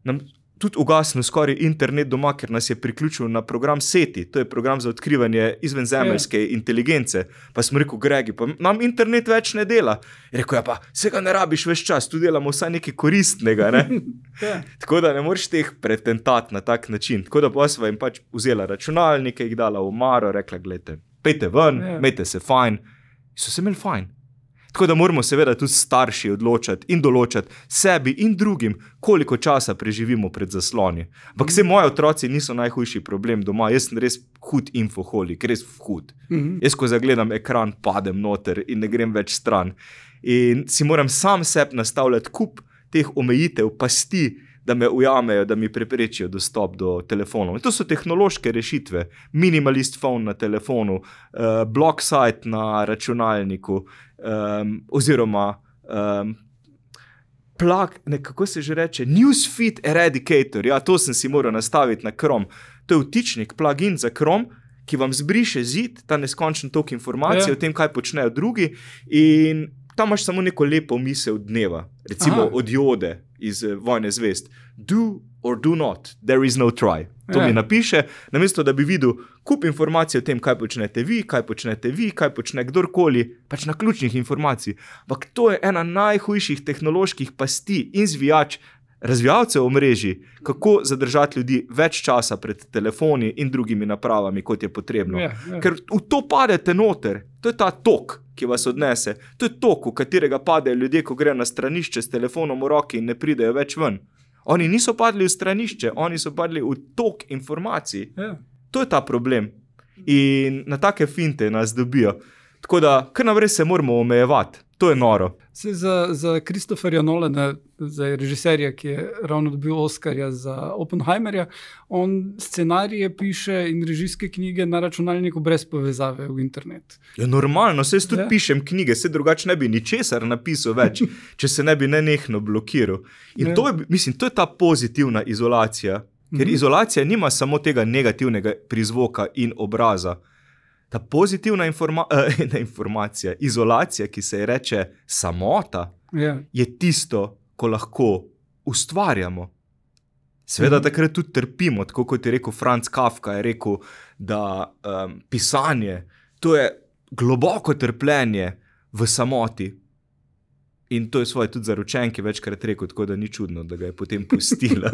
nam tudi ugasnil skoraj internet doma, ker nas je priključil na program SETI, to je program za odkrivanje izvenzemeljske inteligence. Pa smo rekel, Gregi, pa nam internet več ne dela. Je rekel, ja pa, se ga ne rabiš več čas, tu delamo vsaj nekaj koristnega, ne? Tako da ne moreš teh pretentati na tak način. Tako da pa sva jim pač vzela računalnike, jih dala v omaro, rekla, gledajte, pejte ven, imejte se fajn. So se imeli fajn. Tako da moramo seveda tudi starši odločati in določati sebi in drugim, koliko časa preživimo pred zasloni. Ampak vse moji otroci niso najhujši problem doma, jaz sem res hud infoholik, res hud. Jaz, ko zagledam ekran, padem noter in ne grem več stran. In si moram sam sebi nastavljati kup teh omejitev, pasti, da me ujamejo, da mi preprečijo dostop do telefonov. In to so tehnološke rešitve. Minimalist phone na telefonu, block site na računalniku, oziroma kako se že reče, newsfeed eradicator. Ja, to sem si moral nastaviti na Chrome. To je vtičnik, plugin za Chrome, ki vam zbriše zid, ta neskončen tok informacij o tem, kaj počnejo drugi, in tam imaš samo neko lepo misel dneva, recimo od Jode iz Vojne zvezd. Do or do not, there is no try. To mi napiše, namesto da bi videl kup informacij o tem, kaj počnete vi, kaj počne kdorkoli, pač na ključnih informacij. Ampak to je ena najhujših tehnoloških pasti in zvijač razvijalcev omrežij, kako zadržati ljudi več časa pred telefoni in drugimi napravami, kot je potrebno. Ker v to padete noter, to je ta tok, ki vas odnese, to je tok, v katerega padejo ljudje, ko grejo na stranišče s telefonom v roki in ne pridejo več ven. Oni niso padli v stranišče, oni so padli v tok informacij. To je ta problem. In na take finte nas dobijo. Tako da, kar naprej se moramo omejevati. To je noro. Za Christopherja Nolana, za režiserja, ki je ravno dobil Oscarja za Oppenheimerja, on scenarije piše in režijske knjige na računalniku brez povezave v internet. Ja, normalno, saj tudi pišem knjige, saj drugače ne bi ničesar napisal več, če se ne bi nenehno blokiral. In to je ta pozitivna izolacija, ker izolacija nima samo tega negativnega prizvoka in obraza. Ta pozitivna informacija, izolacija, ki se je reče samota, je tisto, ko lahko ustvarjamo. Seveda takrat tudi trpimo, tako kot je rekel Franz Kafka, je rekel, da pisanje, to je globoko trpljenje v samoti. In to je svoje tudi zaročenki večkrat rekel, tako da ni čudno, da ga je potem pustila.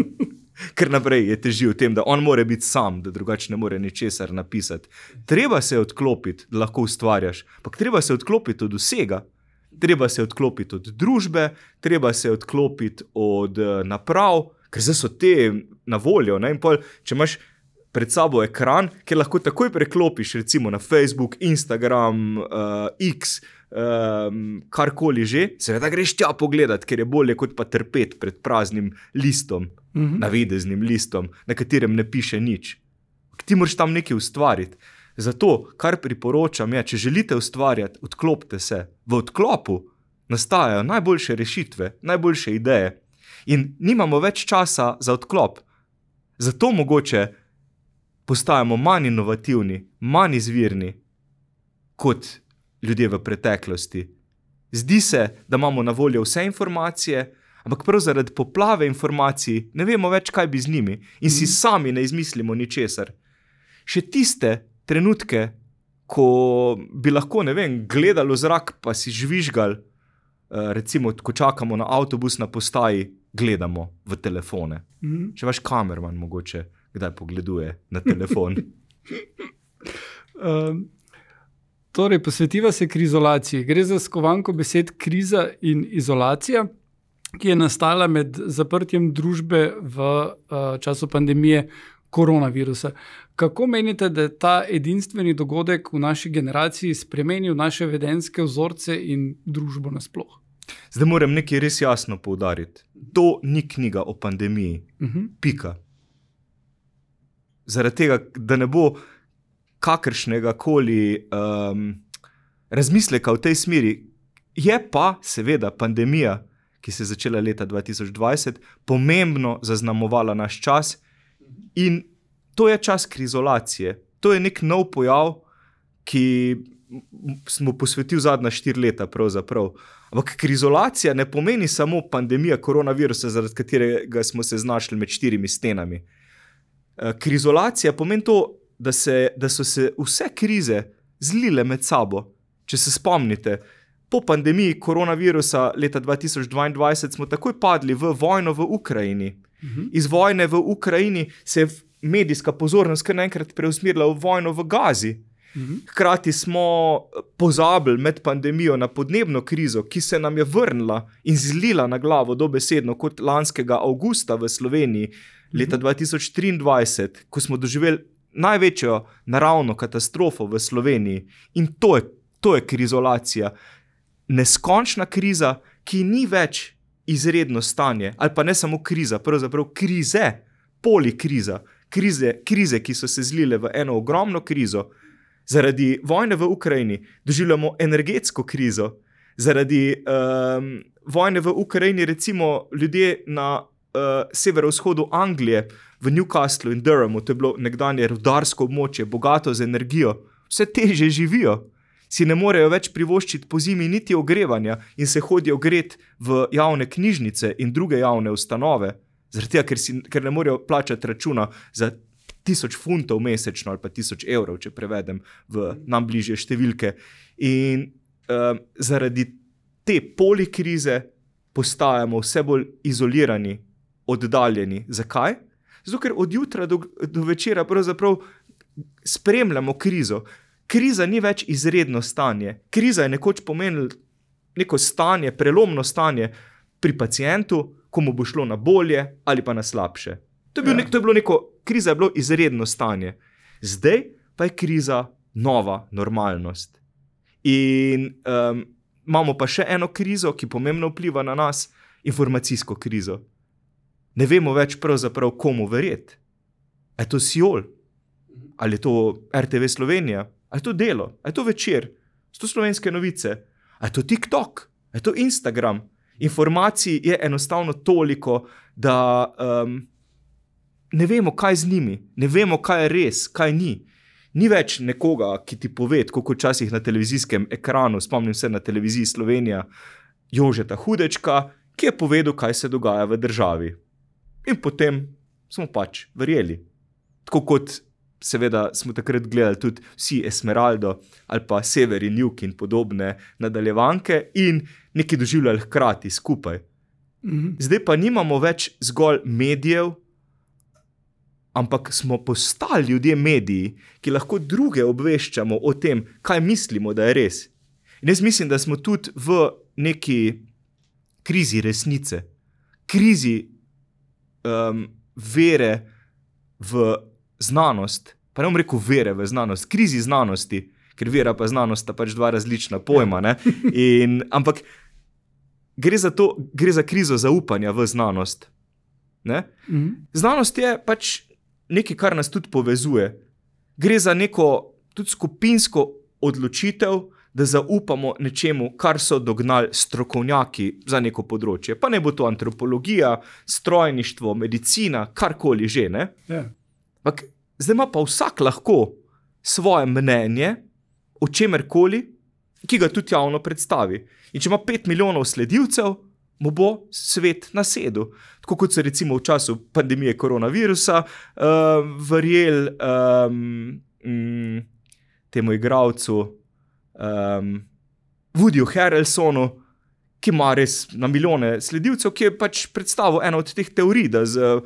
Ker naprej je težil v tem, da on mora biti sam, da drugače ne more ničesar napisati. Treba se odklopiti, da lahko ustvarjaš, ampak treba se odklopiti od vsega. Treba se odklopiti od družbe, treba se odklopiti od naprav, ker zdaj so te na voljo. Ne? In pol, če imaš pred sabo ekran, kjer lahko takoj preklopiš recimo na Facebook, Instagram, X, karkoli že, seveda greš tja pogledat, ker je bolje kot pa trpeti pred praznim listom, navideznim listom, na katerem ne piše nič. Ti moraš tam nekaj ustvariti. Zato, kar priporočam je, če želite ustvarjati, odklopite se. V odklopu nastajajo najboljše rešitve, najboljše ideje in nimamo več časa za odklop. Zato mogoče postajamo manj inovativni, manj izvirni kot ljudje v preteklosti. Zdi se, da imamo na voljo vse informacije, ampak prav zaradi poplave informacij ne vemo več, kaj bi z njimi in si sami ne izmislimo ničesar. Še tiste trenutke, ko bi lahko, ne vem, gledalo zrak pa si žvižgal, recimo, ko čakamo na avtobus na postaji, gledamo v telefone. Če vaš kamerman mogoče kdaj pogleduje na telefon. Torej, posvetiva se krizolaciji. Gre za skovanko besed kriza in izolacija, ki je nastala med zaprtjem družbe v času pandemije koronavirusa. Kako menite, da je ta edinstveni dogodek v naši generaciji spremenil naše vedenjske vzorce in družbo nasploh? Zdaj moram nekaj res jasno poudariti. To ni knjiga o pandemiji. Pika. Zaradi tega, da ne bo kakršnega koli razmisleka v tej smeri. Je pa seveda pandemija, ki se je začela leta 2020, pomembno zaznamovala naš čas in to je čas krizolacije. To je nek nov pojav, ki smo posvetili zadnja 4 leta pravzaprav. Ampak krizolacija ne pomeni samo pandemija koronavirusa, zaradi katerega smo se znašli med 4 stenami. Krizolacija pomeni to, da so se vse krize zlile med sabo. Če se spomnite, po pandemiji koronavirusa leta 2022 smo takoj padli v vojno v Ukrajini. Iz vojne v Ukrajini se je medijska pozornost kar naenkrat preusmerila v vojno v Gazi. Hkrati smo pozabili med pandemijo na podnebno krizo, ki se nam je vrnila in zlila na glavo dobesedno kot lanskega avgusta v Sloveniji leta 2023, ko smo doživeli največjo naravno katastrofo v Sloveniji. In to je krizolacija. Neskončna kriza, ki ni več izredno stanje, ali pa ne samo kriza, pravzaprav krize, polikriza, krize, ki so se zlile v eno ogromno krizo. Zaradi vojne v Ukrajini doživljamo energetsko krizo. Zaradi vojne v Ukrajini recimo ljudje na severovzhodu Anglije, v Newcastlu in Durhamu, to je bilo nekdanje rudarsko območje, bogato z energijo, vse težje živijo. Si ne morejo več privoščiti po zimi niti ogrevanja in se hodijo ogret v javne knjižnice in druge javne ustanove, zaradi tega, ker ne morejo plačati računa za 1000 funtov mesečno ali pa 1000 evrov, če prevedem v nam bližje številke. In zaradi te polikrize postajamo vse bolj izolirani, oddaljeni. Zakaj? Zato, ker od jutra do večera pravzaprav spremljamo krizo. Kriza ni več izredno stanje. Kriza je nekoč pomenila neko stanje, prelomno stanje pri pacientu, ko mu bo šlo na bolje ali pa na slabše. Kriza je bilo izredno stanje. Zdaj pa je kriza nova normalnost. In imamo pa še eno krizo, ki pomembno vpliva na nas, informacijsko krizo. Ne vemo več pravzaprav komu verjeti. A je to Siol? Ali je to RTV Slovenija? A je to Delo? A je to Večer? So to Slovenske novice? A je to TikTok? A je to Instagram? Informacij je enostavno toliko, da ne vemo, kaj z njimi. Ne vemo, kaj je res, kaj ni. Ni več nekoga, ki ti pove, kot včasih na televizijskem ekranu, spomnim se na televiziji Slovenija, Jožeta Hudečka, ki je povedal, kaj se dogaja v državi. In potem smo pač verjeli. Tako kot seveda smo takrat gledali tudi vsi Esmeraldo ali pa Sever in Jug in podobne nadaljevanke in nekaj doživljali hkrati skupaj. Zdaj pa nimamo več zgolj medijev, ampak smo postali ljudje mediji, ki lahko druge obveščamo o tem, kaj mislimo, da je res. In jaz mislim, da smo tudi v neki krizi resnice, krizi vere v znanost, pa ne bom rekel vere v znanost, krizi znanosti, ker vera pa znanost sta pač dva različna pojma, ne? Ampak gre za krizo zaupanja v znanost. Ne? Znanost je pač nekaj, kar nas tudi povezuje. Gre za neko tudi skupinsko odločitev, da zaupamo nečemu, kar so dognali strokovnjaki za neko področje. Pa ne bo to antropologija, strojništvo, medicina, karkoli že. Ne? Yeah. Zdaj ima pa vsak lahko svoje mnenje o čemerkoli, ki ga tudi javno predstavi. In če ima 5 milijonov sledilcev, mu bo svet nasedel. Tako kot so recimo v času pandemije koronavirusa verjeli temu igralcu Woodyju Harrelsonu, ki ima res na milijone sledilcev, ki je pač predstavil eno od teh teorij, da z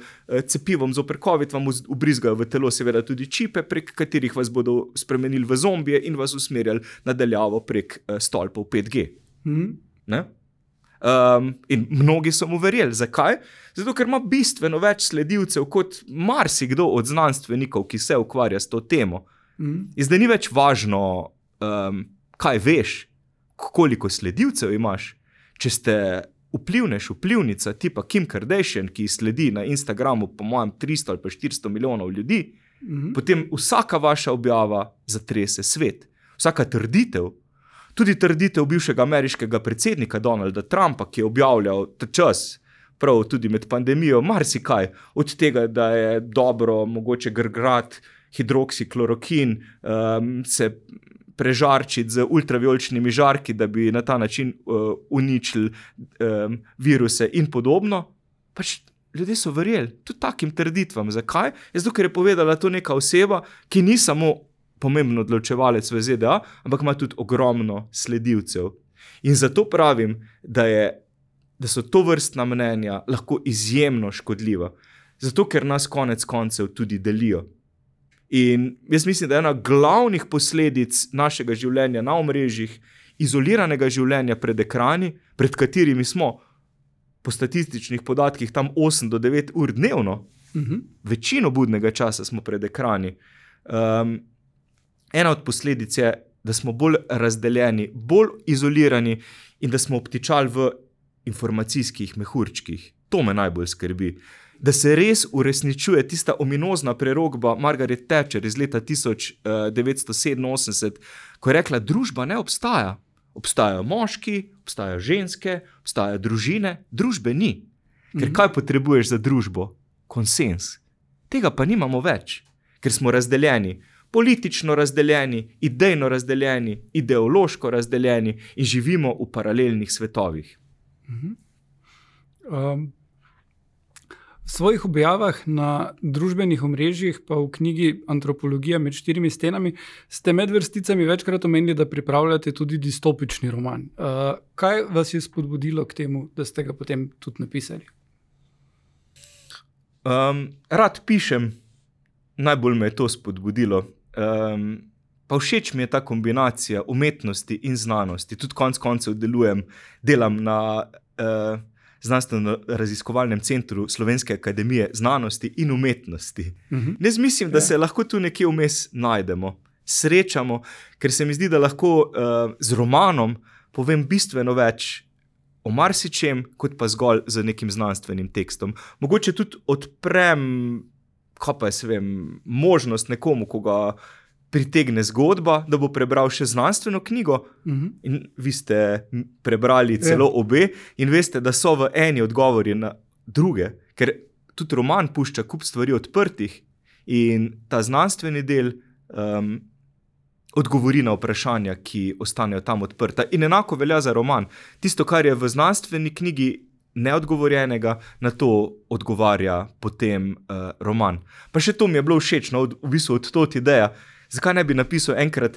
cepivom zoper COVID vam ubrizgajo v telo seveda tudi čipe, prek katerih vas bodo spremenili v zombije in vas usmerjali nadaljavo prek stolpov 5G. Ne? In mnogi so mu verjeli. Zakaj? Zato, ker ima bistveno več sledilcev kot marsikdo od znanstvenikov, ki se ukvarja s to temo. In zdaj ni več važno, kaj veš, koliko sledilcev imaš. Če ste vplivnica tipa Kim Kardashian, ki sledi na Instagramu po mojem 300 ali pa 400 milijonov ljudi, potem vsaka vaša objava zatrese svet. Vsaka trditev, tudi trditev bivšega ameriškega predsednika Donalda Trumpa, ki je objavljal ta čas, prav tudi med pandemijo, marsikaj, od tega, da je dobro mogoče grgrati hidroksiklorokin, se prežarčiti z ultravijoličnimi žarki, da bi na ta način uničili viruse in podobno. Pač ljudje so verjeli tudi takim trditvam. Zakaj? Zato, ker je povedala to neka oseba, ki ni samo pomemben odločevalec v ZDA, ampak ima tudi ogromno sledilcev. In zato pravim, da so to vrstna mnenja lahko izjemno škodljiva. Zato, ker nas konec koncev tudi delijo. In jaz mislim, da je ena glavnih posledic našega življenja na omrežjih, izoliranega življenja pred ekrani, pred katerimi smo po statističnih podatkih tam 8 do 9 ur dnevno, večino budnega časa smo pred ekrani. Ena od posledic je, da smo bolj razdeljeni, bolj izolirani in da smo obtičali v informacijskih mehurčkih. To me najbolj skrbi. Da se res uresničuje tista ominozna prerokba Margaret Thatcher iz leta 1987, ko je rekla, družba ne obstaja. Obstajajo moški, obstajajo ženske, obstajajo družine, družbe ni. Ker kaj potrebuješ za družbo? Konsens. Tega pa nimamo več, ker smo razdeljeni. Politično razdeljeni, idejno razdeljeni, ideološko razdeljeni in živimo v paralelnih svetovih. V svojih objavah na družbenih omrežjih, pa v knjigi Antropologija med štirimi stenami, ste med vrsticami večkrat omenili, da pripravljate tudi distopični roman. Kaj vas je spodbudilo k temu, da ste ga potem tudi napisali? Rad pišem, najbolj me je to spodbudilo. Pa všeč mi je ta kombinacija umetnosti in znanosti. Tudi konec koncev delam na znanstveno-raziskovalnem centru Slovenske akademije znanosti in umetnosti. Jaz mislim, da se lahko tu nekje vmes najdemo, srečamo, ker se mi zdi, da lahko z romanom povem bistveno več o marsičem, kot pa zgolj z nekim znanstvenim tekstom. Mogoče tudi odprem, možnost nekomu, ko ga pritegne zgodba, da bo prebral še znanstveno knjigo. In vi ste prebrali celo obe in veste, da so v eni odgovori na druge, ker tudi roman pušča kup stvari odprtih in ta znanstveni del odgovori na vprašanja, ki ostanejo tam odprta. In enako velja za roman. Tisto, kar je v znanstveni knjigi neodgovorjenega, na to odgovarja potem roman. Pa še to mi je bilo všečno, v bistvu od tot ideja, zakaj ne bi napisal enkrat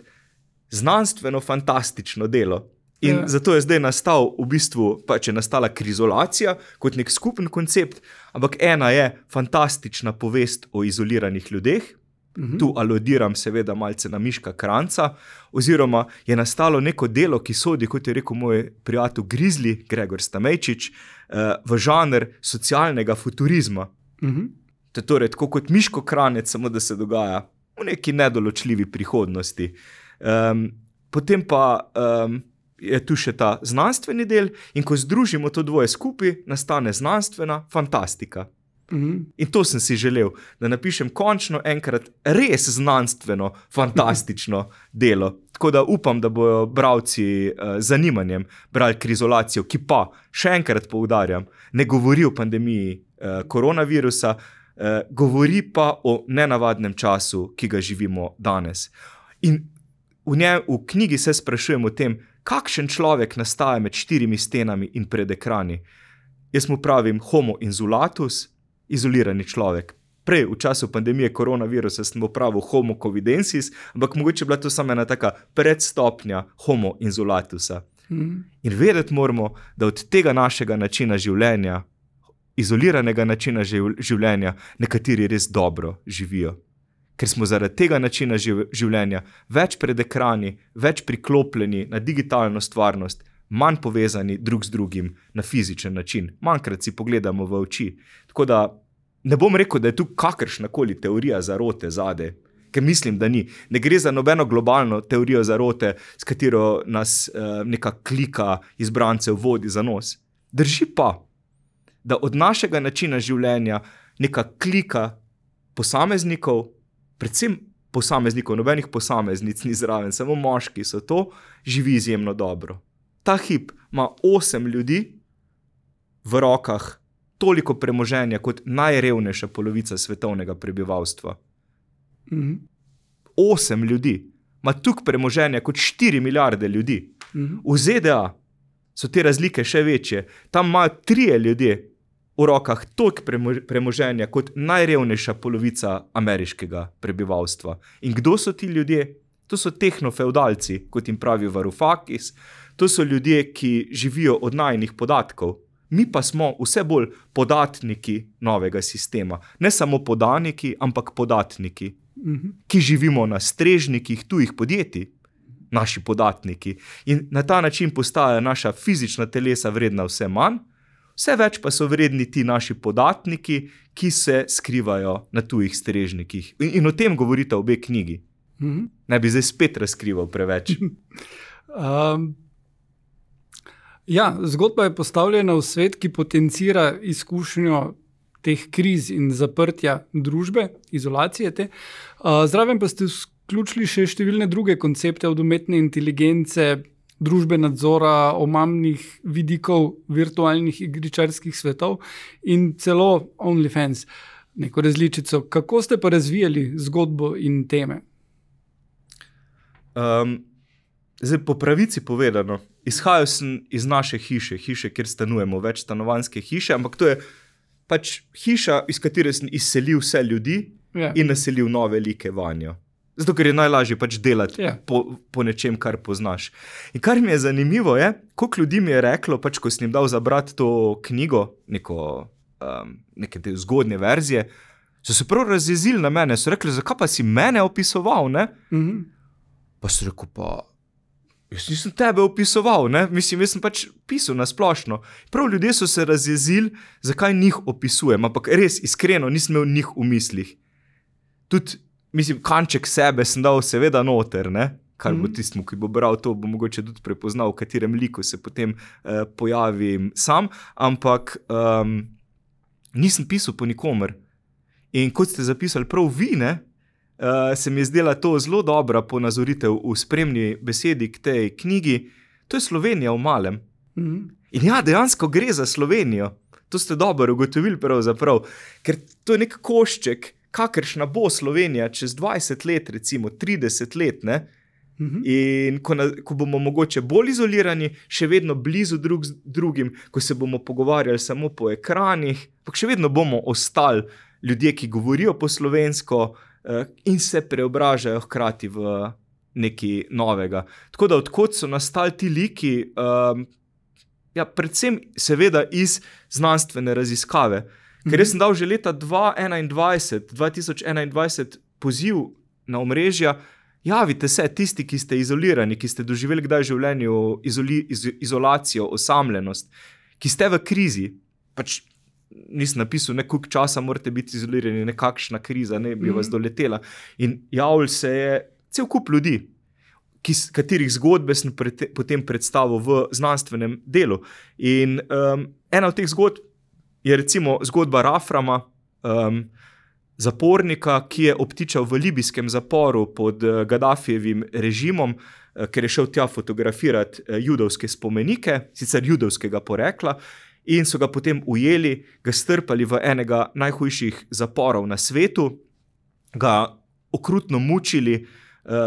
znanstveno-fantastično delo. In zato je zdaj nastal v bistvu, pač je nastala krizolacija kot nek skupen koncept, ampak ena je fantastična povest o izoliranih ljudeh, tu aludiram seveda malce na Miška Kranjca, oziroma je nastalo neko delo, ki sodi, kot je rekel moj prijatelj Grizli, Gregor Stamejčič, v žanr socialnega futurizma. To je torej tako kot Miško Kranjec, samo da se dogaja v neki nedoločljivi prihodnosti. Potem pa je tu še ta znanstveni del in ko združimo to dvoje skupaj, nastane znanstvena fantastika. In to sem si želel, da napišem končno enkrat res znanstveno, fantastično delo. Tako da upam, da bojo bralci zanimanjem brali Krizolacijo, ki pa, še enkrat poudarjam, ne govori o pandemiji koronavirusa, govori pa o nenavadnem času, ki ga živimo danes. In v knjigi se sprašujem o tem, kakšen človek nastaja med štirimi stenami in pred ekrani. Jaz mu pravim homo insulatus, izolirani človek. Prej, v času pandemije koronavirusa, sem pravil homo covidensis, ampak mogoče je bila to samo ena taka predstopnja homo insulatusa. In vedeti moramo, da od tega našega načina življenja, izoliranega načina življenja, nekateri res dobro živijo. Ker smo zaradi tega načina življenja več pred ekrani, več priklopljeni na digitalno stvarnost, manj povezani drug z drugim na fizičen način. Manjkrat si pogledamo v oči. Tako da ne bom rekel, da je tu kakršnakoli teorija zarote zade, ker mislim, da ni. Ne gre za nobeno globalno teorijo zarote, s katero nas neka klika izbrancev vodi za nos. Drži pa, da od našega načina življenja neka klika posameznikov, predvsem posameznikov, nobenih posameznic ni zraven, samo moški so to, živi izjemno dobro. Ta hip ima 8 ljudi v rokah, toliko premoženja kot najrevnejša polovica svetovnega prebivalstva. 8 ljudi ima toliko premoženja kot 4 milijarde ljudi. V ZDA so te razlike še večje. Tam imajo 3 ljudje v rokah toliko premoženja kot najrevnejša polovica ameriškega prebivalstva. In kdo so ti ljudje? To so tehnofeudalci, kot jim pravi Varoufakis. To so ljudje, ki živijo od najinih podatkov. Mi pa smo vse bolj podatniki novega sistema. Ne samo podaniki, ampak podatniki. ki živimo na strežnikih tujih podjetij, naši podatniki. In na ta način postaja naša fizična telesa vredna vse manj, vse več pa so vredni ti naši podatniki, ki se skrivajo na tujih strežnikih. In o tem govorita obe knjigi. Ne bi zdaj spet razkrival preveč. Zgodba je postavljena v svet, ki potencira izkušnjo teh kriz in zaprtja družbe, izolacije te. Zraven pa ste vključili še številne druge koncepte, od umetne inteligence, družbe nadzora, omamnih vidikov virtualnih igričarskih svetov in celo OnlyFans, neko različico. Kako ste pa razvijali zgodbo in teme? Zdaj, po pravici povedano, izhajal sem iz naše hiše, kjer stanujemo, večstanovanjske hiše, ampak to je pač hiša, iz katere sem izselil vse ljudi in naselil nove like vanjo. Zato, ker je najlažje pač delati po nečem, kar poznaš. In kar mi je zanimivo je, koliko ljudi mi je reklo, pač ko sem jim dal zabrati to knjigo, neke te zgodnje verzije, so se prav razjezili na mene, so rekli, zakaj pa si mene opisoval, ne? Pa so rekel, jaz nisem tebe opisoval, ne? Mislim, jaz sem pač pisal na splošno. Prav ljudje so se razjezili, zakaj njih opisujem, ampak res, iskreno, nisem imel njih v mislih. Tudi, mislim, kanček sebe sem dal seveda noter, ne? Kar bo tistmu, ki bo bral to, bo mogoče tudi prepoznal, v katerem liku se potem pojavim sam, ampak nisem pisal po nikomer. In kot ste zapisali prav vi, ne? Se mi je zdela to zelo dobra ponazoritev v spremni besedi k tej knjigi. To je Slovenija v malem. In dejansko gre za Slovenijo. To ste dobro ugotovili pravzaprav, ker to je nek košček, kakršna bo Slovenija čez 20 let, recimo 30 let, ne? In ko bomo mogoče bolj izolirani, še vedno blizu drugim, ko se bomo pogovarjali samo po ekranih, pa še vedno bomo ostali ljudje, ki govorijo po slovensko, in se preobražajo hkrati v nekaj novega. Tako da odkot so nastali ti liki, predvsem seveda iz znanstvene raziskave. Ker jaz sem dal že leta 2021 poziv na omrežja, javite se tisti, ki ste izolirani, ki ste doživeli kdaj v življenju izolacijo, osamljenost, ki ste v krizi, pač nisem napisal, koliko časa morate biti izolirani, nekakšna kriza, ne bi vas doletela. In javili se je cel kup ljudi, katerih zgodbe sem potem predstavil v znanstvenem delu. In ena od teh zgodb je recimo zgodba Raframa, zapornika, ki je obtičal v libijskem zaporu pod Gaddafijevim režimom, ker je šel tja fotografirati judovske spomenike, sicer judovskega porekla, in so ga potem ujeli, ga strpali v enega najhujših zaporov na svetu, ga okrutno mučili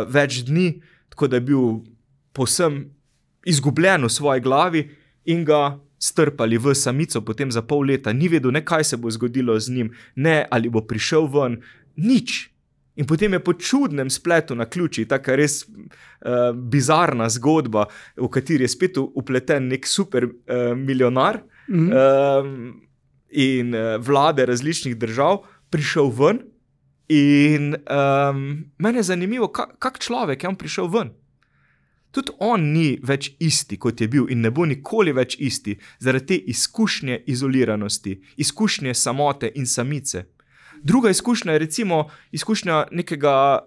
več dni, tako da je bil povsem izgubljen v svoji glavi in ga strpali v samico potem za pol leta. Ni vedel, ne kaj se bo zgodilo z njim, ne ali bo prišel ven, nič. In potem je po čudnem spletu naključij, taka res bizarna zgodba, v kateri je spet upleten nek super milijonar in vlade različnih držav, prišel ven in mene je zanimivo, kak človek je on prišel ven. Tudi on ni več isti, kot je bil in ne bo nikoli več isti, zaradi te izkušnje izoliranosti, izkušnje samote in samice. Druga izkušnja je recimo izkušnja nekega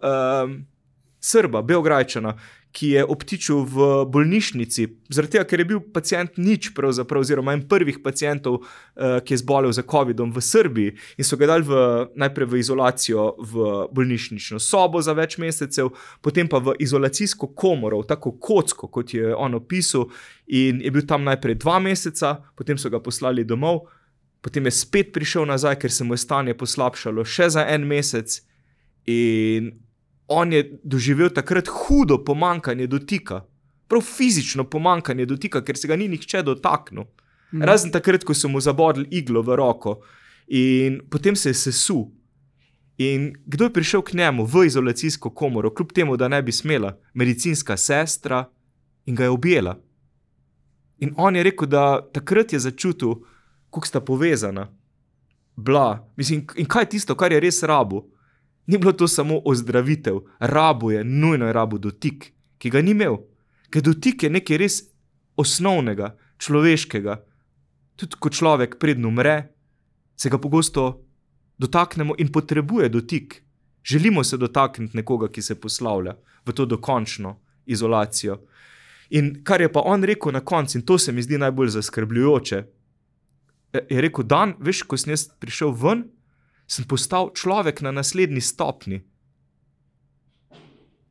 Srba, Beograjčana, ki je obtičil v bolnišnici, zaradi tega, ker je bil pacient nič pravzaprav, oziroma en prvih pacientov, ki je zbolel za covidom v Srbiji in so ga dali najprej v izolacijo v bolnišnično sobo za več mesecev, potem pa v izolacijsko komoro, tako kocko, kot je on opisal, in je bil tam najprej 2 meseca, potem so ga poslali domov, potem je spet prišel nazaj, ker se mu je stanje poslabšalo še za 1 mesec in on je doživel takrat hudo pomanjkanje dotika. Prav fizično pomanjkanje dotika, ker se ga ni nihče dotaknil. Razen takrat, ko so mu zabodli iglo v roko in potem se je sesul. In kdo je prišel k njemu v izolacijsko komoro, kljub temu, da ne bi smela? Medicinska sestra in ga je objela. In on je rekel, da takrat je začutil, kako sta povezana. Mislim, in kaj je tisto, kar je res rabil? Ni bilo to samo ozdravitev, nujno je rabo dotik, ki ga ni imel. Ker dotik je nekaj res osnovnega, človeškega. Tudi ko človek predno umre, se ga pogosto dotaknemo in potrebuje dotik. Želimo se dotakniti nekoga, ki se poslavlja v to dokončno izolacijo. In kar je pa on rekel na koncu, in to se mi zdi najbolj zaskrbljujoče, je rekel, Dan, veš, ko sem jaz prišel ven, sem postal človek na naslednji stopni.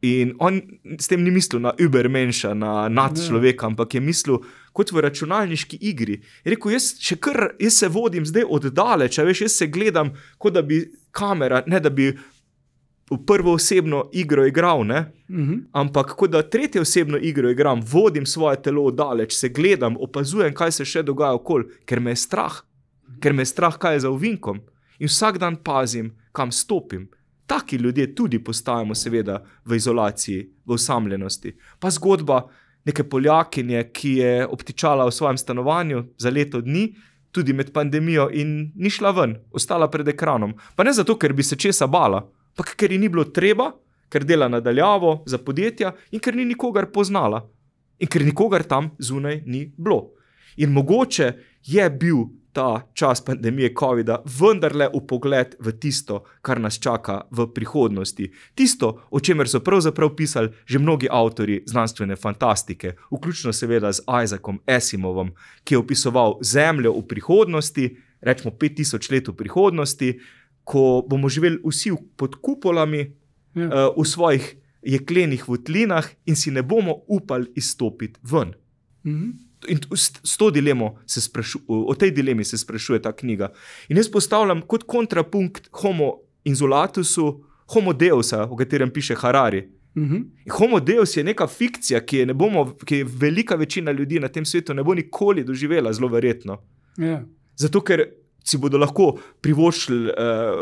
In on s tem ni mislil na übermenša, na nadčloveka, ampak je mislil kot v računalniški igri. Je rekel, jaz se vodim zdaj oddaleč, veš, jaz se gledam, kot da bi kamera, ne da bi v prvoosebno igro igral, ne? Ampak kot da tretjeosebno igro igram, vodim svoje telo oddaleč, se gledam, opazujem, kaj se še dogaja okoli, ker me je strah. Ker me je strah, kaj je za ovinkom. In vsak dan pazim, kam stopim. Taki ljudje tudi postajamo seveda v izolaciji, v osamljenosti. Pa zgodba neke Poljakinje, ki je obtičala v svojem stanovanju za leto dni, tudi med pandemijo in ni šla ven, ostala pred ekranom. Pa ne zato, ker bi se česa bala, pa ker ji ni bilo treba, ker dela nadaljavo za podjetja in ker ni nikogar poznala. In ker nikogar tam zunaj ni bilo. In mogoče je bil ta čas pandemije covida vendarle vpogled v tisto, kar nas čaka v prihodnosti. Tisto, o čemer so pravzaprav pisali že mnogi avtorji znanstvene fantastike, vključno seveda z Isaacom Asimovom, ki je opisoval Zemljo v prihodnosti, rečemo 5000 let v prihodnosti, ko bomo živeli vsi pod kupolami, v svojih jeklenih votlinah in si ne bomo upali izstopiti ven. In o tej dilemi se sprašuje ta knjiga. In jaz postavljam kot kontrapunkt homo insulatusu, homo deusa, o katerem piše Harari. Homo deus je neka fikcija, ki je velika večina ljudi na tem svetu ne bo nikoli doživela, zelo verjetno. Zato, ker si bodo lahko privoščili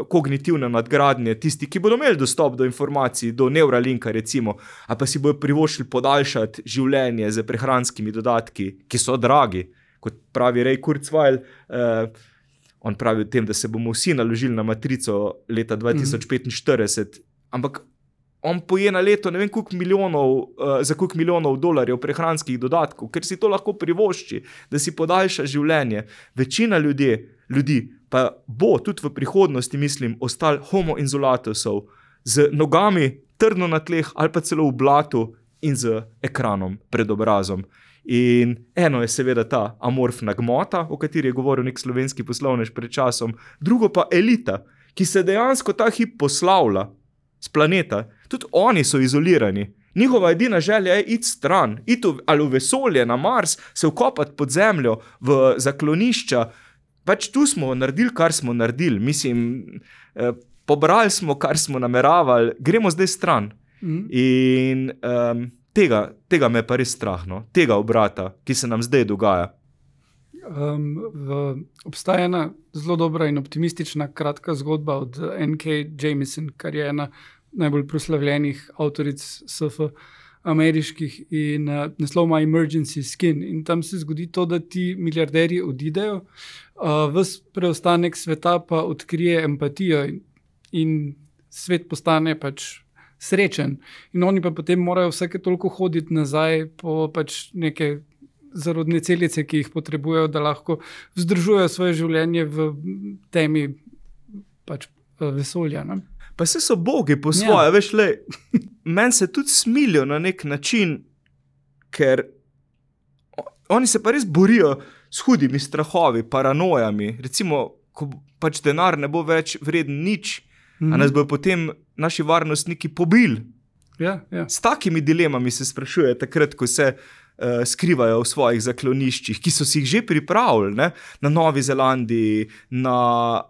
kognitivne nadgradnje, tisti, ki bodo imeli dostop do informacij, do Neuralinka recimo, ali pa si bodo privoščili podaljšati življenje z prehranskimi dodatki, ki so dragi, kot pravi Ray Kurzweil, on pravi o tem, da se bomo vsi naložili na matrico leta 2045, ampak on poje na leto ne vem za koliko milijonov dolarjev prehranskih dodatkov, ker si to lahko privošči, da si podaljša življenje. Večina ljudi pa bo tudi v prihodnosti, mislim, ostal homo insulatusov z nogami trdno na tleh ali pa celo v blatu in z ekranom pred obrazom. In eno je seveda ta amorfna gmota, o kateri je govoril nek slovenski poslovnež pred časom, drugo pa elita, ki se dejansko ta hip poslavlja z planeta. Tudi oni so izolirani. Njihova edina želja je iti stran, iti ali v vesolje, na Mars, se vkopati pod zemljo, v zaklonišča. Pač tu smo naredili, kar smo naredili. Mislim, pobrali smo, kar smo nameravali, gremo zdaj stran. In tega me pa res strah, no? Tega obrata, ki se nam zdaj dogaja. Obstaja ena zelo dobra in optimistična kratka zgodba od N.K. Jemisin, kar je ena najbolj proslavljenih avtoric SF ameriških, in naslov ima Emergency Skin. In tam se zgodi to, da ti milijarderji odidejo, ves preostanek sveta pa odkrije empatijo in svet postane pač srečen. In oni pa potem morajo vsake toliko hoditi nazaj po pač neke zarodne celice, ki jih potrebujejo, da lahko vzdržujejo svoje življenje v temi pač vesolja. Ne? Pa se so bogi po svoje, veš, meni se tudi smilijo na nek način, ker oni se pa res borijo s hudimi strahovi, paranojami. Recimo, ko pač denar ne bo več vreden nič, a nas bojo potem naši varnostniki pobili. S takimi dilemami se sprašuje takrat, ko se skrivajo v svojih zakloniščih, ki so si jih že pripravili, ne? Na Novi Zelandiji, na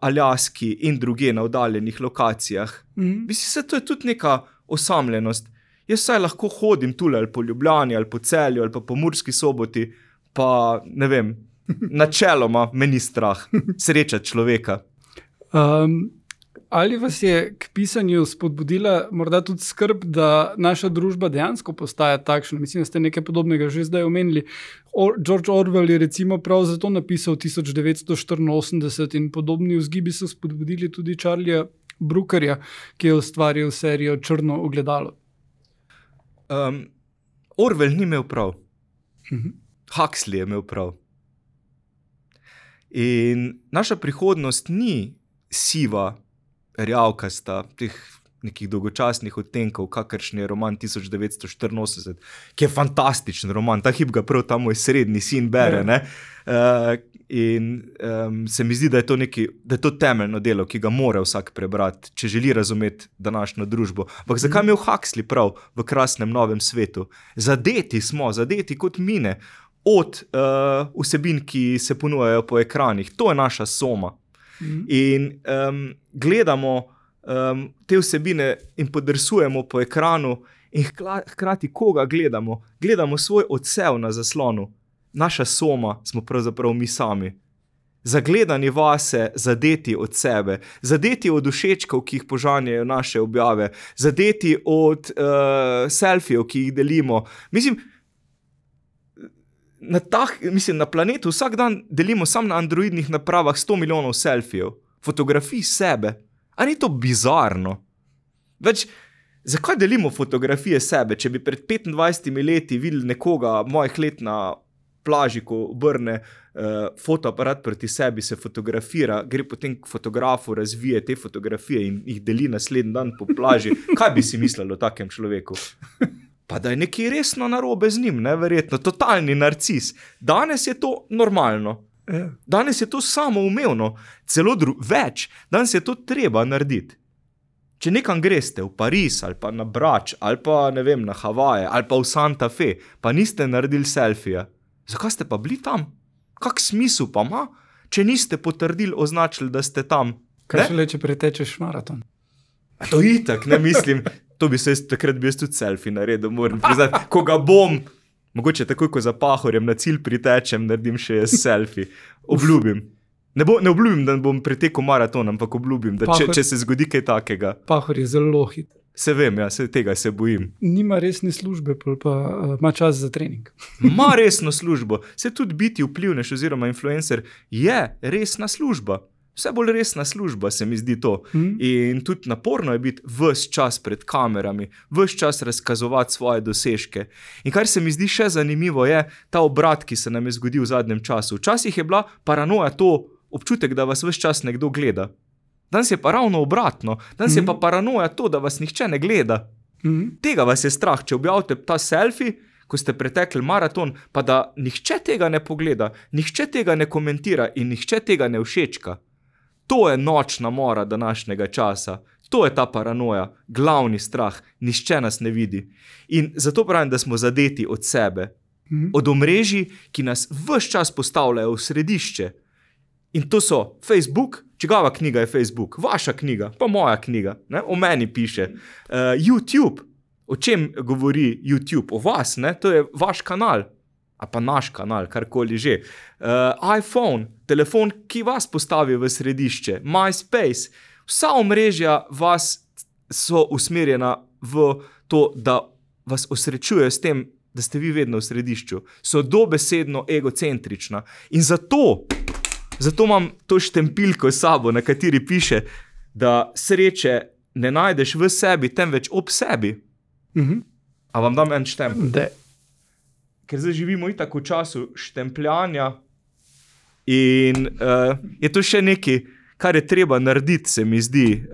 Aljaski in druge na oddaljenih lokacijah. Mislim, to je tudi neka osamljenost. Jaz saj lahko hodim tule ali po Ljubljani, ali po Celju, ali pa po Murski Soboti, pa ne vem, načeloma me ni strah srečati človeka. Ali vas je k pisanju spodbudila morda tudi skrb, da naša družba dejansko postaja takšna? Mislim, da ste nekaj podobnega že zdaj omenili. George Orwell je recimo prav zato napisal 1984 in podobni vzgibi so spodbudili tudi Charlieja Brookerja, ki je ustvaril serijo Črno ogledalo. Orwell ni imel prav. Huxley je imel prav. In naša prihodnost ni siva, rjavkasta, teh nekih dolgočasnih odtenkov, kakršen je roman 1984, ki je fantastičen roman, ta hip ga prav ta moj srednji sin bere, ne? Se mi zdi, da je to temeljno delo, ki ga mora vsak prebrati, če želi razumeti današnjo družbo. Ampak zakaj imel Huxley prav v krasnem novem svetu? Zadeti kot mine od vsebin, ki se ponujajo po ekranih. To je naša soma. In gledamo te vsebine in podrsujemo po ekranu in hkrati koga gledamo? Gledamo svoj odsev na zaslonu. Naša soma smo pravzaprav mi sami. Zagledani vase, zadeti od sebe, zadeti od všečkov, ki jih požanjajo naše objave, zadeti od selfijev, ki jih delimo. Mislim, na planetu vsak dan delimo samo na androidnih napravah 100 milijonov selfijev, fotografij sebe. A ni to bizarno? Zakaj delimo fotografije sebe, če bi pred 25 leti videli nekoga mojih let na plaži, ko obrne fotoaparat proti sebi, se fotografira, gre potem k fotografu, razvije te fotografije in jih deli naslednji dan po plaži. Kaj bi si mislili o takem človeku? Pa da je nekaj resno narobe z njim, neverjetno, totalni narcis. Danes je to normalno. Danes je to samoumevno, celo več. Danes je to treba narediti. Če nekam greste v Pariz, ali pa na Brač, ali pa ne vem, na Havaje, ali pa v Santa Fe, pa niste naredili selfija, zakaj ste pa bili tam? Kak smisel pa ima, če niste potrdili, označili, da ste tam? Kaj šele, če pretečeš maraton? A to itak, ne mislim. To bi se takrat bi jaz tudi selfie naredil, moram priznati. Ko ga bom, mogoče takoj, ko za Pahorjem na cilj pritečem, naredim še jaz selfie. Obljubim. Ne obljubim, da bom pretekel maraton, ampak obljubim, da če se zgodi kaj takega. Pahor je zelo hit. Se vem, ja, tega se bojim. Nima resne službe, pa ima čas za trening. Ma resno službo. Se tudi biti vplivnež oziroma influencer je resna služba. Vse bolj resna služba, se mi zdi to. In tudi naporno je biti ves čas pred kamerami, ves čas razkazovati svoje dosežke. In kar se mi zdi še zanimivo je ta obrat, ki se nam je zgodil v zadnjem času. Včasih je bila paranoja to občutek, da vas ves čas nekdo gleda. Danes je pa ravno obratno. Danes je pa paranoja to, da vas nihče ne gleda. Tega vas je strah, če objavite ta selfie, ko ste pretekli maraton, pa da nihče tega ne pogleda, nihče tega ne komentira in nihče tega ne všečka. To je nočna mora današnjega časa. To je ta paranoja, glavni strah, nihče nas ne vidi. In zato pravim, da smo zadeti od sebe. Od omrežij, ki nas ves čas postavljajo v središče. In to so Facebook, čigava knjiga je Facebook, vaša knjiga, pa moja knjiga, ne? O meni piše. YouTube, o čem govori YouTube? O vas, ne? To je vaš kanal. A pa naš kanal, karkoli že. iPhone, telefon, ki vas postavi v središče. MySpace, vsa omrežja vas so usmerjena v to, da vas osrečujejo s tem, da ste vi vedno v središču. So dobesedno egocentrična. In zato imam to štempilko s sabo, na kateri piše, da sreče ne najdeš v sebi, temveč ob sebi. A vam dam en štempel? Ker zdaj živimo itak v času štempljanja in je to še nekaj, kar je treba narediti, se mi zdi,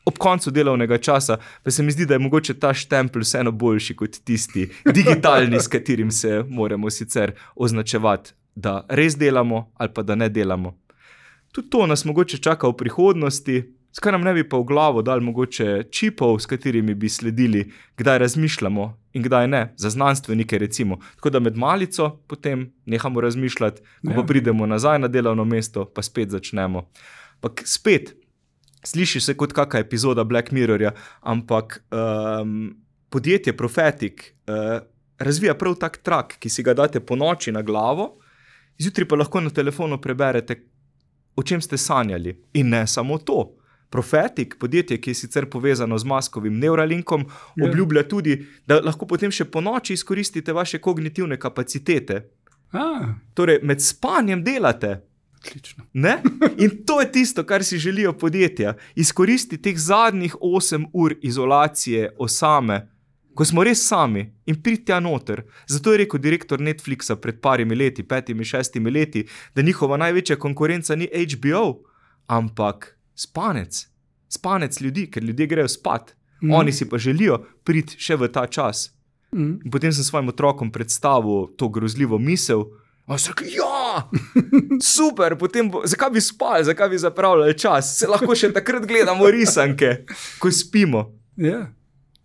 ob koncu delovnega časa, pa se mi zdi, da je mogoče ta štempel vseeno boljši kot tisti digitalni, s katerim se moramo sicer označevati, da res delamo ali pa da ne delamo. Tudi to nas mogoče čaka v prihodnosti, skaj nam ne bi pa v glavo dali mogoče čipov, s katerimi bi sledili, kdaj razmišljamo in kdaj ne, za znanstvenike recimo. Tako da med malico potem nehamo razmišljati, ko pa pridemo nazaj na delovno mesto, pa spet začnemo. Ampak spet, sliši se kot kakšna epizoda Black Mirrorja, ampak podjetje Prophetic razvija prav tak trak, ki si ga date po noči na glavo, zjutraj pa lahko na telefonu preberete, o čem ste sanjali. In ne samo to. Prophetic, podjetje, ki je sicer povezano z Muskovim Neuralinkom, obljublja tudi, da lahko potem še po noči izkoristite vaše kognitivne kapacitete. Torej, med spanjem delate. Odlično. Ne? In to je tisto, kar si želijo podjetja. Izkoristi teh zadnjih 8 ur izolacije osame, ko smo res sami in priti tja noter. Zato je rekel direktor Netflixa pred parimi leti, 5, 6 leti, da njihova največja konkurenca ni HBO, ampak spanec. Spanec ljudi, ker ljudje grejo spat. Oni si pa želijo priti še v ta čas. In potem sem svojim otrokom predstavil to grozljivo misel. On se rekel, ja, super, potem zakaj bi spali, zakaj bi zapravljali čas? Se lahko še takrat gledamo risanke, ko spimo. Ja.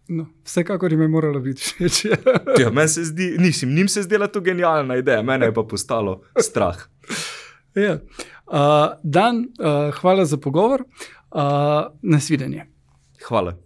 No, vsekakor jim je moralo biti všeč. Ja, meni se zdi, njim se zdela to genialna ideja, mene je pa postalo strah. Ja. Dan, hvala za pogovor. Nasvidenje. Hvala.